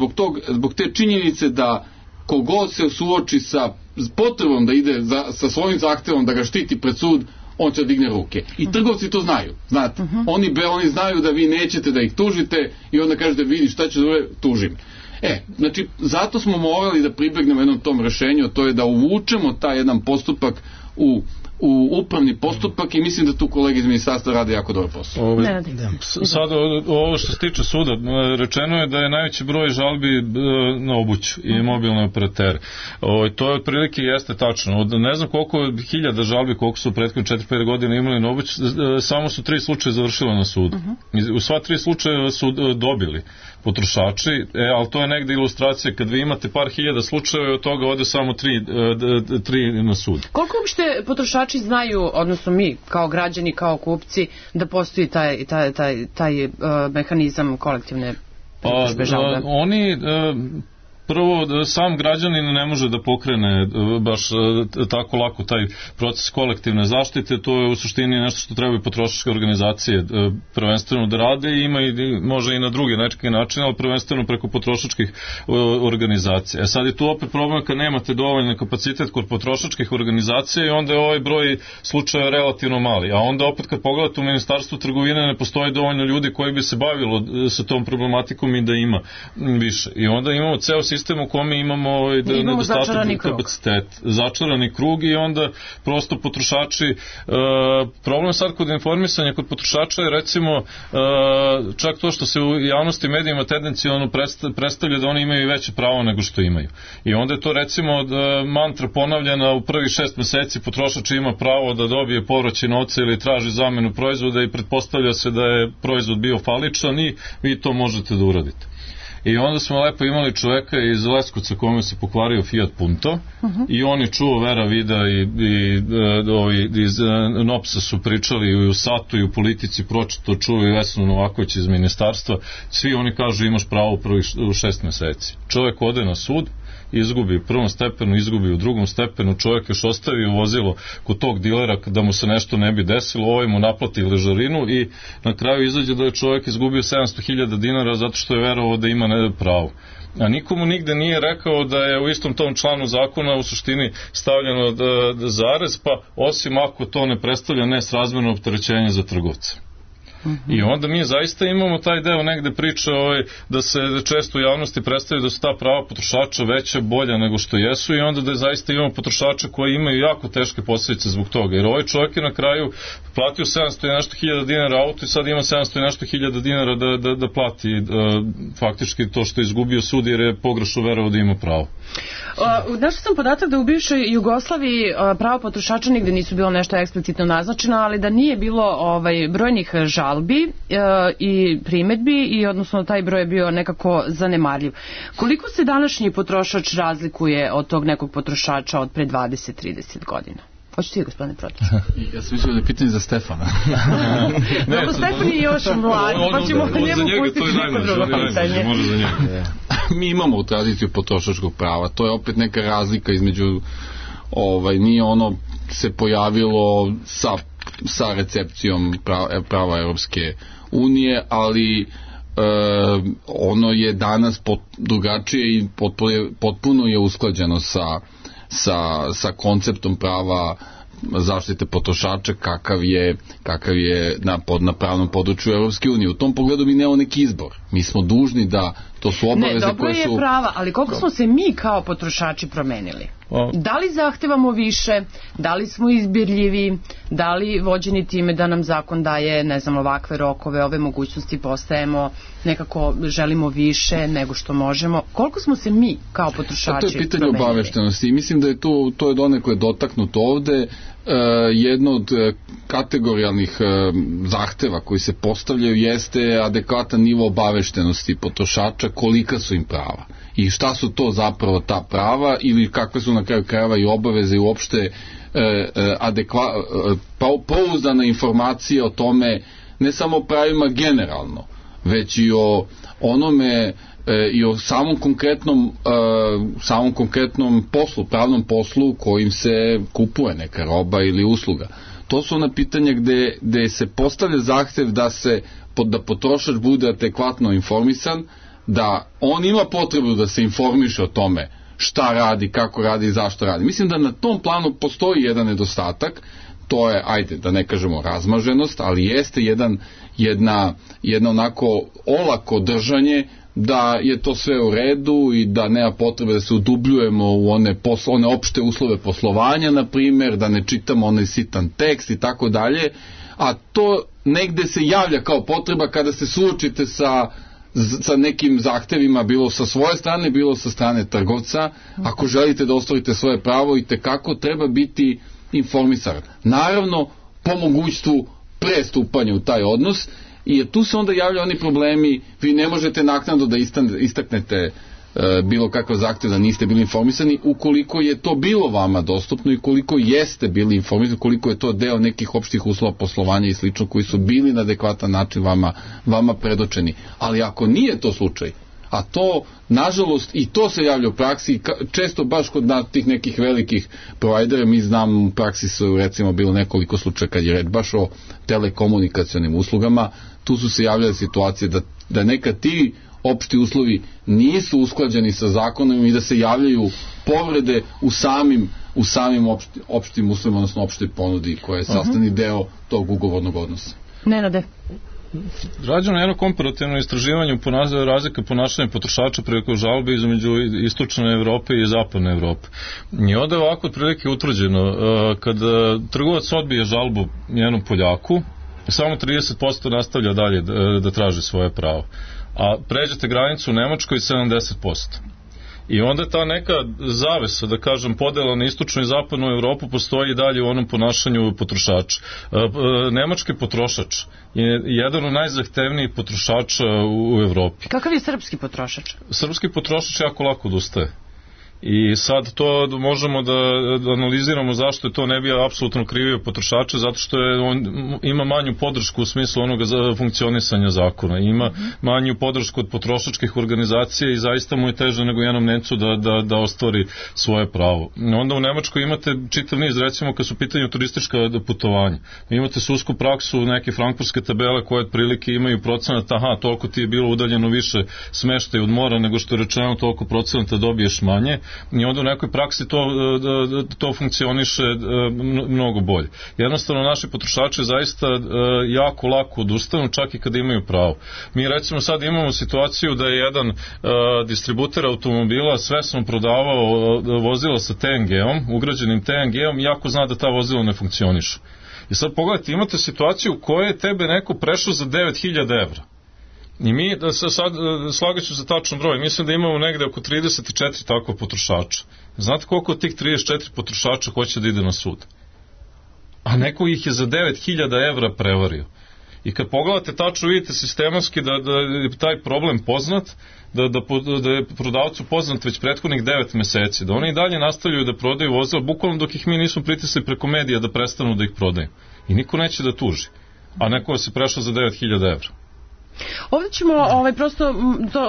zbog te činjenice da kogod se suoči sa potrebom da ide sa svojim zahtevom da ga štiti pred sud, on će digne ruke. I trgovci to znaju. Znate, oni znaju da vi nećete da ih tužite i onda kažete, vidi šta će zove, tužim. Znači, zato smo morali da pribegnemo jednom tom rešenju, to je da uvučemo taj jedan postupak u upravni postupak i mislim da tu kolege iz ministarstva rade jako dobro posao. Sad, ovo što se tiče suda, rečeno je da je najveći broj žalbi na obuću i mobilne operatere. To je otprilike jeste tačno. Od ne znam koliko hiljada žalbi, koliko su prethodne 4-5 godine imali na obuću, samo su 3 slučaja završila na sudu. U sva 3 slučaja su dobili potrošači, ali to je negde ilustracija kad vi imate par hiljada slučajeva i od toga ode samo 3 na sud. Koliko uopšte potrošači znaju, odnosno mi kao građani, kao kupci, da postoji taj mehanizam kolektivne pritužbe žalbe? Oni prvo, sam građanin ne može da pokrene baš tako lako taj proces kolektivne zaštite, to je u suštini nešto što trebaju potrošačke organizacije prvenstveno da rade i ima može i na druge nečke načine, ali prvenstveno preko potrošačkih organizacija. Sad je tu opet problem kad nemate dovoljno kapacitet kod potrošačkih organizacija i onda je ovaj broj slučaja relativno mali, a onda opet kad pogledate u ministarstvu trgovine ne postoji dovoljno ljudi koji bi se bavilo sa tom problematikom i da ima više. I onda imamo ceo sistem u kome imamo nedostatak kapacitet, začarani krug i onda prosto potrošači, problem sad kod informisanja kod potrošača je recimo čak to što se u javnosti medijima tendencionalno predstavlja da oni imaju veće pravo nego što imaju. I onda je to recimo mantra ponavljena u prvih 6 meseci potrošač ima pravo da dobije povraćaj novca ili traži zamenu proizvoda i pretpostavlja se da je proizvod bio faličan i vi to možete da uradite. I onda smo lepo imali čoveka iz Leskovca kome se pokvario Fiat Punto i on je čuo Vera Vida i iz NOPS-a su pričali i u Satu i u Politici, pročito čuo i Vesnu Novaković iz ministarstva, svi oni kažu imaš pravo u 6 meseci. Čovek ode na sud, izgubi u prvom stepenu, izgubi u drugom stepenu, čovjek još ostavi vozilo kod tog dilera da mu se nešto ne bi desilo, ovaj mu naplati ležarinu i na kraju izađe da je čovjek izgubio 700.000 dinara zato što je verovao da ima pravo. A nikomu nigde nije rekao da je u istom tom članu zakona u suštini stavljeno zarez, pa osim ako to ne predstavlja nesrazmerno opterećenje za trgovca. I onda mi zaista imamo taj deo negde priče da se često u javnosti predstavlja da su ta prava potrošača veća, bolja nego što jesu i onda da zaista imamo potrošača koji imaju jako teške posljedice zbog toga. Jer ovaj čovjek je na kraju platio 700 i nešto hiljada dinara auto i sad ima 700 i nešto hiljada dinara da plati faktički to što je izgubio sud jer je pogrešno verovao da ima pravo. Našao sam podatak da u bivšoj Jugoslaviji prava potrošača nigde nisu bilo nešto eksplicitno naznačeno, ali da nije bilo brojnih žalbi i primetbi i odnosno taj broj je bio nekako zanemarljiv. Koliko se današnji potrošač razlikuje od tog nekog potrošača od pre 20-30 godina? Hoću ti, gospodine Protić? Ja sam mislio da je pitanje za Stefana. Dobro, Stefan je još mlad, pa ćemo njemu pustiti neko drugo pitanje. Mi imamo tradiciju potrošačkog prava, to je opet neka razlika između, nije ono se pojavilo sa recepcijom prava Europske unije, ali ono je danas drugačije i potpuno je usklađeno sa konceptom prava zaštite potrošača kakav je na pravnom području Europske unije. U tom pogledu mi nemamo neki izbor. Mi smo dužni da to su obaveze koje su... Ne, dobro je prava, ali koliko smo se mi kao potrošači promenili? Da li zahtevamo više, da li smo izbirljivi, da li vođeni time da nam zakon daje, ne znam, ovakve rokove, ove mogućnosti, postajemo nekako, želimo više nego što možemo. Koliko smo se mi kao potrošači promenili? To je pitanje obaveštenosti i mislim da je to je donekle dotaknuto ovde. Jedno od kategorijalnih zahteva koji se postavljaju jeste adekvatan nivo obaveštenosti potrošača, kolika su im prava i šta su to zapravo ta prava ili kakve su na kraju krajeva i obaveze i uopšte pouzdana informacija o tome, ne samo o pravima generalno, već i o onome i o samom konkretnom poslu, pravnom poslu kojim se kupuje neka roba ili usluga. To su ona pitanja gde se postavlja zahtev da potrošač bude adekvatno informisan, da on ima potrebu da se informiše o tome šta radi, kako radi i zašto radi. Mislim da na tom planu postoji jedan nedostatak, to je, ajde, da ne kažemo razmaženost, ali jeste jedna onako olako držanje da je to sve u redu i da nema potrebe da se udubljujemo u one opšte uslove poslovanja, na primjer, da ne čitamo onaj sitan tekst i tako dalje, a to negde se javlja kao potreba kada se suočite sa nekim zahtevima, bilo sa svoje strane, bilo sa strane trgovca. Ako želite da ostvarite svoje pravo, i tekako treba biti informisan. Naravno, po mogućstvu pre stupanja u taj odnos, i tu se onda javljaju oni problemi, vi ne možete naknadno da istaknete bilo kakav zahtev da niste bili informisani, ukoliko je to bilo vama dostupno i koliko jeste bili informisani, koliko je to deo nekih opštih uslova poslovanja i slično koji su bili na adekvatan način vama predočeni. Ali ako nije to slučaj, a to, nažalost, i to se javlja u praksi, često baš kod tih nekih velikih provajdera, mi znam, u praksi su recimo bilo nekoliko slučaja kad je red baš o telekomunikacionim uslugama, tu su se javljale situacije da nekad ti opšti uslovi nisu usklađeni sa zakonom i da se javljaju povrede u samim opštim uslovima, odnosno opštoj ponudi koja je sastavni deo tog ugovornog odnosa. Nenade. Rađeno je jedno komparativno istraživanje razlike ponašanja potrošača preko žalbe između istočne Evrope i zapadne Evrope. I onda je ovako otprilike utvrđeno, kada trgovac odbije žalbu jednom Poljaku, samo 30% nastavlja dalje da traži svoje pravo. A pređete granicu u Nemačkoj 70%. I onda ta neka zavesa, da kažem, podela na istočnu i zapadnu Evropu postoji i dalje u onom ponašanju potrošača. Nemački potrošač je jedan od najzahtevnijih potrošača u Evropi. Kakav je srpski potrošač? Srpski potrošač jako lako odustaje. I sad to možemo da analiziramo zašto je to ne bi apsolutno krivio potrošača, zato što on ima manju podršku u smislu onoga za funkcionisanja zakona, ima manju podršku od potrošačkih organizacija i zaista mu je teže nego jednom Nemcu da ostvari svoje pravo. Onda u Nemačkoj imate čitav niz, recimo kad su u pitanju turistička putovanja, imate sudsku praksu, neke frankfurtske tabele koje otprilike imaju procenat, toliko ti je bilo udaljeno više smeštaj od mora nego što je rečeno, toliko procenata dobiješ manje. I onda u nekoj praksi to funkcioniše mnogo bolje. Jednostavno naši potrošači zaista jako lako odustanu, čak i kada imaju pravo. Mi recimo sad imamo situaciju da je jedan distributer automobila svesno prodavao vozila sa TNG-om, ugrađenim TNG-om, iako zna da ta vozila ne funkcionišu. I sad pogledajte, imate situaciju u kojoj je tebe neko prešao za 9.000 evra. I mi, sad slagaću za tačan broj, mislim da imamo negde oko 34 takva potrošača. Znate koliko od tih 34 potrošača hoće da ide na sud? A neko ih je za 9.000 evra prevario. I kad pogledate tačno, vidite sistematski da je taj problem poznat, da je prodavcu poznat već prethodnih 9 meseci, da oni i dalje nastavljaju da prodaju vozila, bukvalno dok ih mi nismo pritisli preko medija da prestanu da ih prodaju. I niko neće da tuži. A neko se prešao za 9.000 evra. Ovdje ćemo, prosto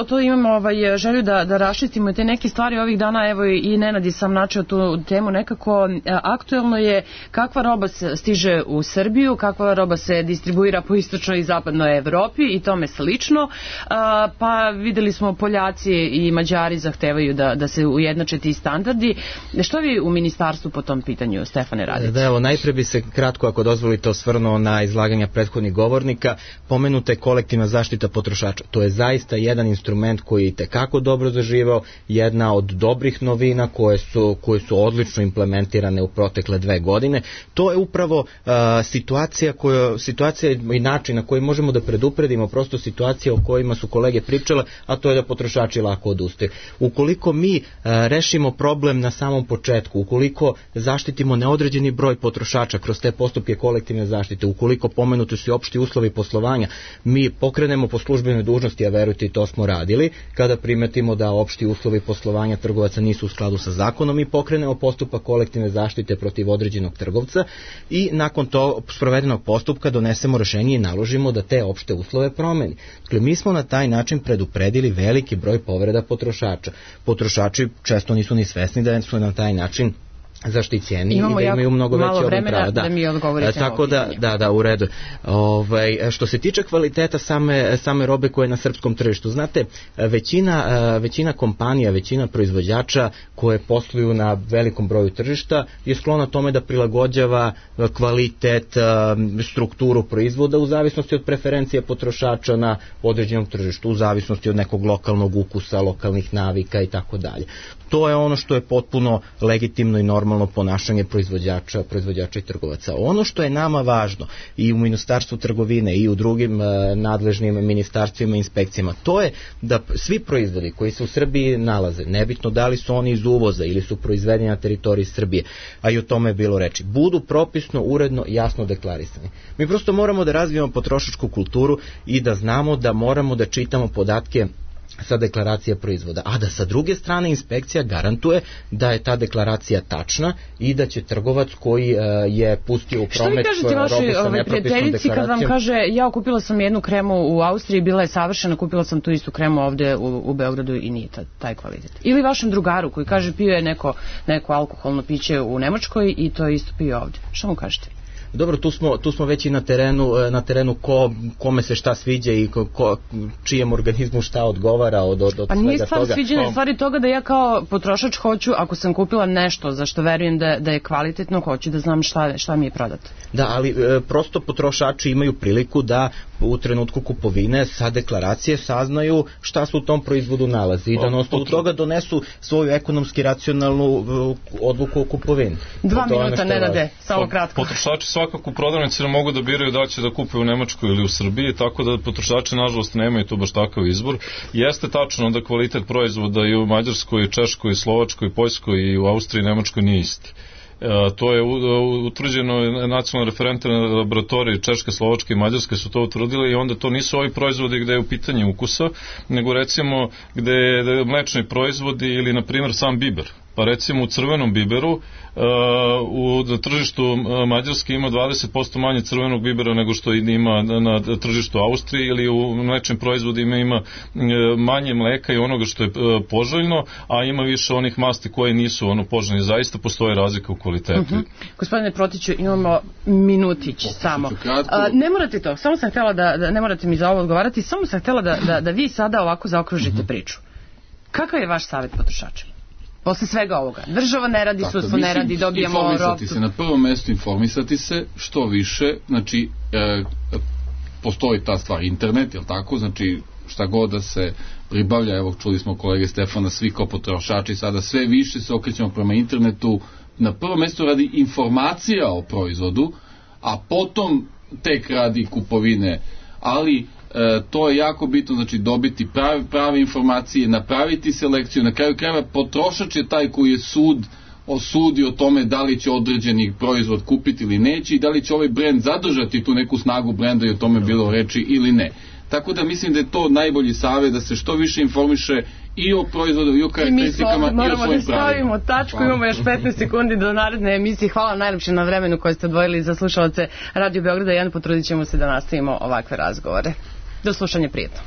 to imamo želju da raščistimo te neke stvari ovih dana, evo i Nenad je sam načeo tu temu nekako. Aktuelno je kakva roba stiže u Srbiju, kakva roba se distribuira po istočnoj i zapadnoj Evropi i tome slično, pa videli smo Poljaci i Mađari zahtevaju da se ujednače ti standardi. Što vi u ministarstvu po tom pitanju, Stefane, radite? Da, evo, najpre bi se kratko, ako dozvolite, osvrnuo na izlaganja prethodnih govornika. Pomenute kolektivna zaštita potrošača. To je zaista jedan instrument koji je itekako dobro zaživao, jedna od dobrih novina koje su odlično implementirane u protekle 2 godine. To je upravo situacija i način na koji možemo da predupredimo prosto situacije o kojima su kolege pričale, a to je da potrošači lako odustaju. Ukoliko mi rešimo problem na samom početku, ukoliko zaštitimo neodređeni broj potrošača kroz te postupke kolektivne zaštite, ukoliko pomenuti su i opšti uslovi poslovanja, mi pokrenemo po službenoj dužnosti, a verujte i to smo radili, kada primetimo da opšti uslovi poslovanja trgovaca nisu u skladu sa zakonom, mi pokrenemo postupak kolektivne zaštite protiv određenog trgovca i nakon to sprovedenog postupka donesemo rešenje i naložimo da te opšte uslove promeni. Dakle, mi smo na taj način predupredili veliki broj povreda potrošača. Potrošači često nisu ni svesni da su na taj način zaštićeni i da imaju mnogo veće obim prava. Da mi odgovorite. Tako da, u redu. Što se tiče kvaliteta same robe koje je na srpskom tržištu, znate, većina kompanija, većina proizvođača koje posluju na velikom broju tržišta je sklona tome da prilagođava kvalitet, strukturu proizvoda u zavisnosti od preferencije potrošača na određenom tržištu, u zavisnosti od nekog lokalnog ukusa, lokalnih navika i tako dalje. To je ono što je potpuno legitimno i normalno ponašanje proizvođača i trgovaca. Ono što je nama važno i u Ministarstvu trgovine i u drugim nadležnim ministarstvima i inspekcijama, to je da svi proizvodi koji se u Srbiji nalaze, nebitno da li su oni iz uvoza ili su proizvedeni na teritoriji Srbije, a i o tome je bilo reči, budu propisno, uredno, jasno deklarisani. Mi prosto moramo da razvijemo potrošačku kulturu i da znamo da moramo da čitamo podatke sa deklaracije proizvoda, a da sa druge strane inspekcija garantuje da je ta deklaracija tačna i da će trgovac koji je pustio u promet robu sa nepropisnom deklaracijom. Što vi kažete vašoj prijateljici kad vam kaže ja kupila sam jednu kremu u Austriji, bila je savršena, kupila sam tu istu kremu ovde u Beogradu i nije taj kvalitet? Ili vašem drugaru koji kaže pio je neko alkoholno piće u Nemačkoj i to isto pio ovde? Što mu kažete? Dobro, tu smo već i na terenu kome se šta sviđa i čijem organizmu šta odgovara od svega toga. Pa nije stvar sviđanja, stvari toga da ja kao potrošač hoću, ako sam kupila nešto za što verujem da je kvalitetno, hoću da znam šta mi je prodato. Da, ali prosto potrošači imaju priliku da u trenutku kupovine sa deklaracije saznaju šta se u tom proizvodu nalazi i da na osnovu toga donesu svoju ekonomski racionalnu odluku o kupovini. 2 minuta, Nenade, samo kratko. Potrošači svakako u prodavnici ne mogu da biraju da će da kupe u Nemačkoj ili u Srbiji, tako da potrošači nažalost nemaju tu baš takav izbor. Jeste tačno da kvalitet proizvoda i u Mađarskoj, Češkoj, Slovačkoj, Poljskoj i u Austriji i Nemačkoj nije isti. To je utvrđeno, nacionalne referentne laboratorije Češke, Slovačke i Mađarske su to utvrdili i onda to nisu ovi proizvodi gde je u pitanju ukusa, nego recimo gde je mlečni proizvodi ili na primjer sam biber. Pa recimo u crvenom biberu na tržištu Mađarske ima 20% manje crvenog bibera nego što ima na tržištu Austrije, ili u mlečnim proizvodima ima manje mleka i onoga što je poželjno, a ima više onih masti koje nisu poželjne. Zaista postoje razlika u kvalitetu. Gospodine Protiću, imamo minutić samo. Ne morate to, samo sam htjela da ne morate mi za ovo odgovarati, samo sam htjela da vi sada ovako zaokružite priču. Kakav je vaš savjet potrošačima? Posle svega ovoga. Država ne radi, sudstvo ne radi, dobijamo informisati se, na prvom mjestu informisati se što više, znači postoji ta stvar internet, jel tako, znači šta god da se pribavlja, evo čuli smo kolege Stefana, svi kao potrošači sada sve više se okrećemo prema internetu, na prvom mjestu radi informacija o proizvodu, a potom tek radi kupovine, ali to je jako bitno, znači dobiti prave informacije, napraviti selekciju, na kraju krajeva potrošač je taj koji je osudi o tome da li će određeni proizvod kupiti ili neće i da li će ovaj brend zadržati tu neku snagu brenda i o tome bilo reči ili ne. Tako da mislim da je to najbolji savjet, da se što više informiše i o proizvodu i o karakteristikama i o svojim pravima. Moramo da stavimo tačku, imamo još 15 sekundi do naredne emisije. Hvala vam najlepše na vremenu koje ste odvojili za slušalace Radio Beograda 1, potrudit ćemo se da nastavimo ovakve razgovore. Do slušanja, prijetno.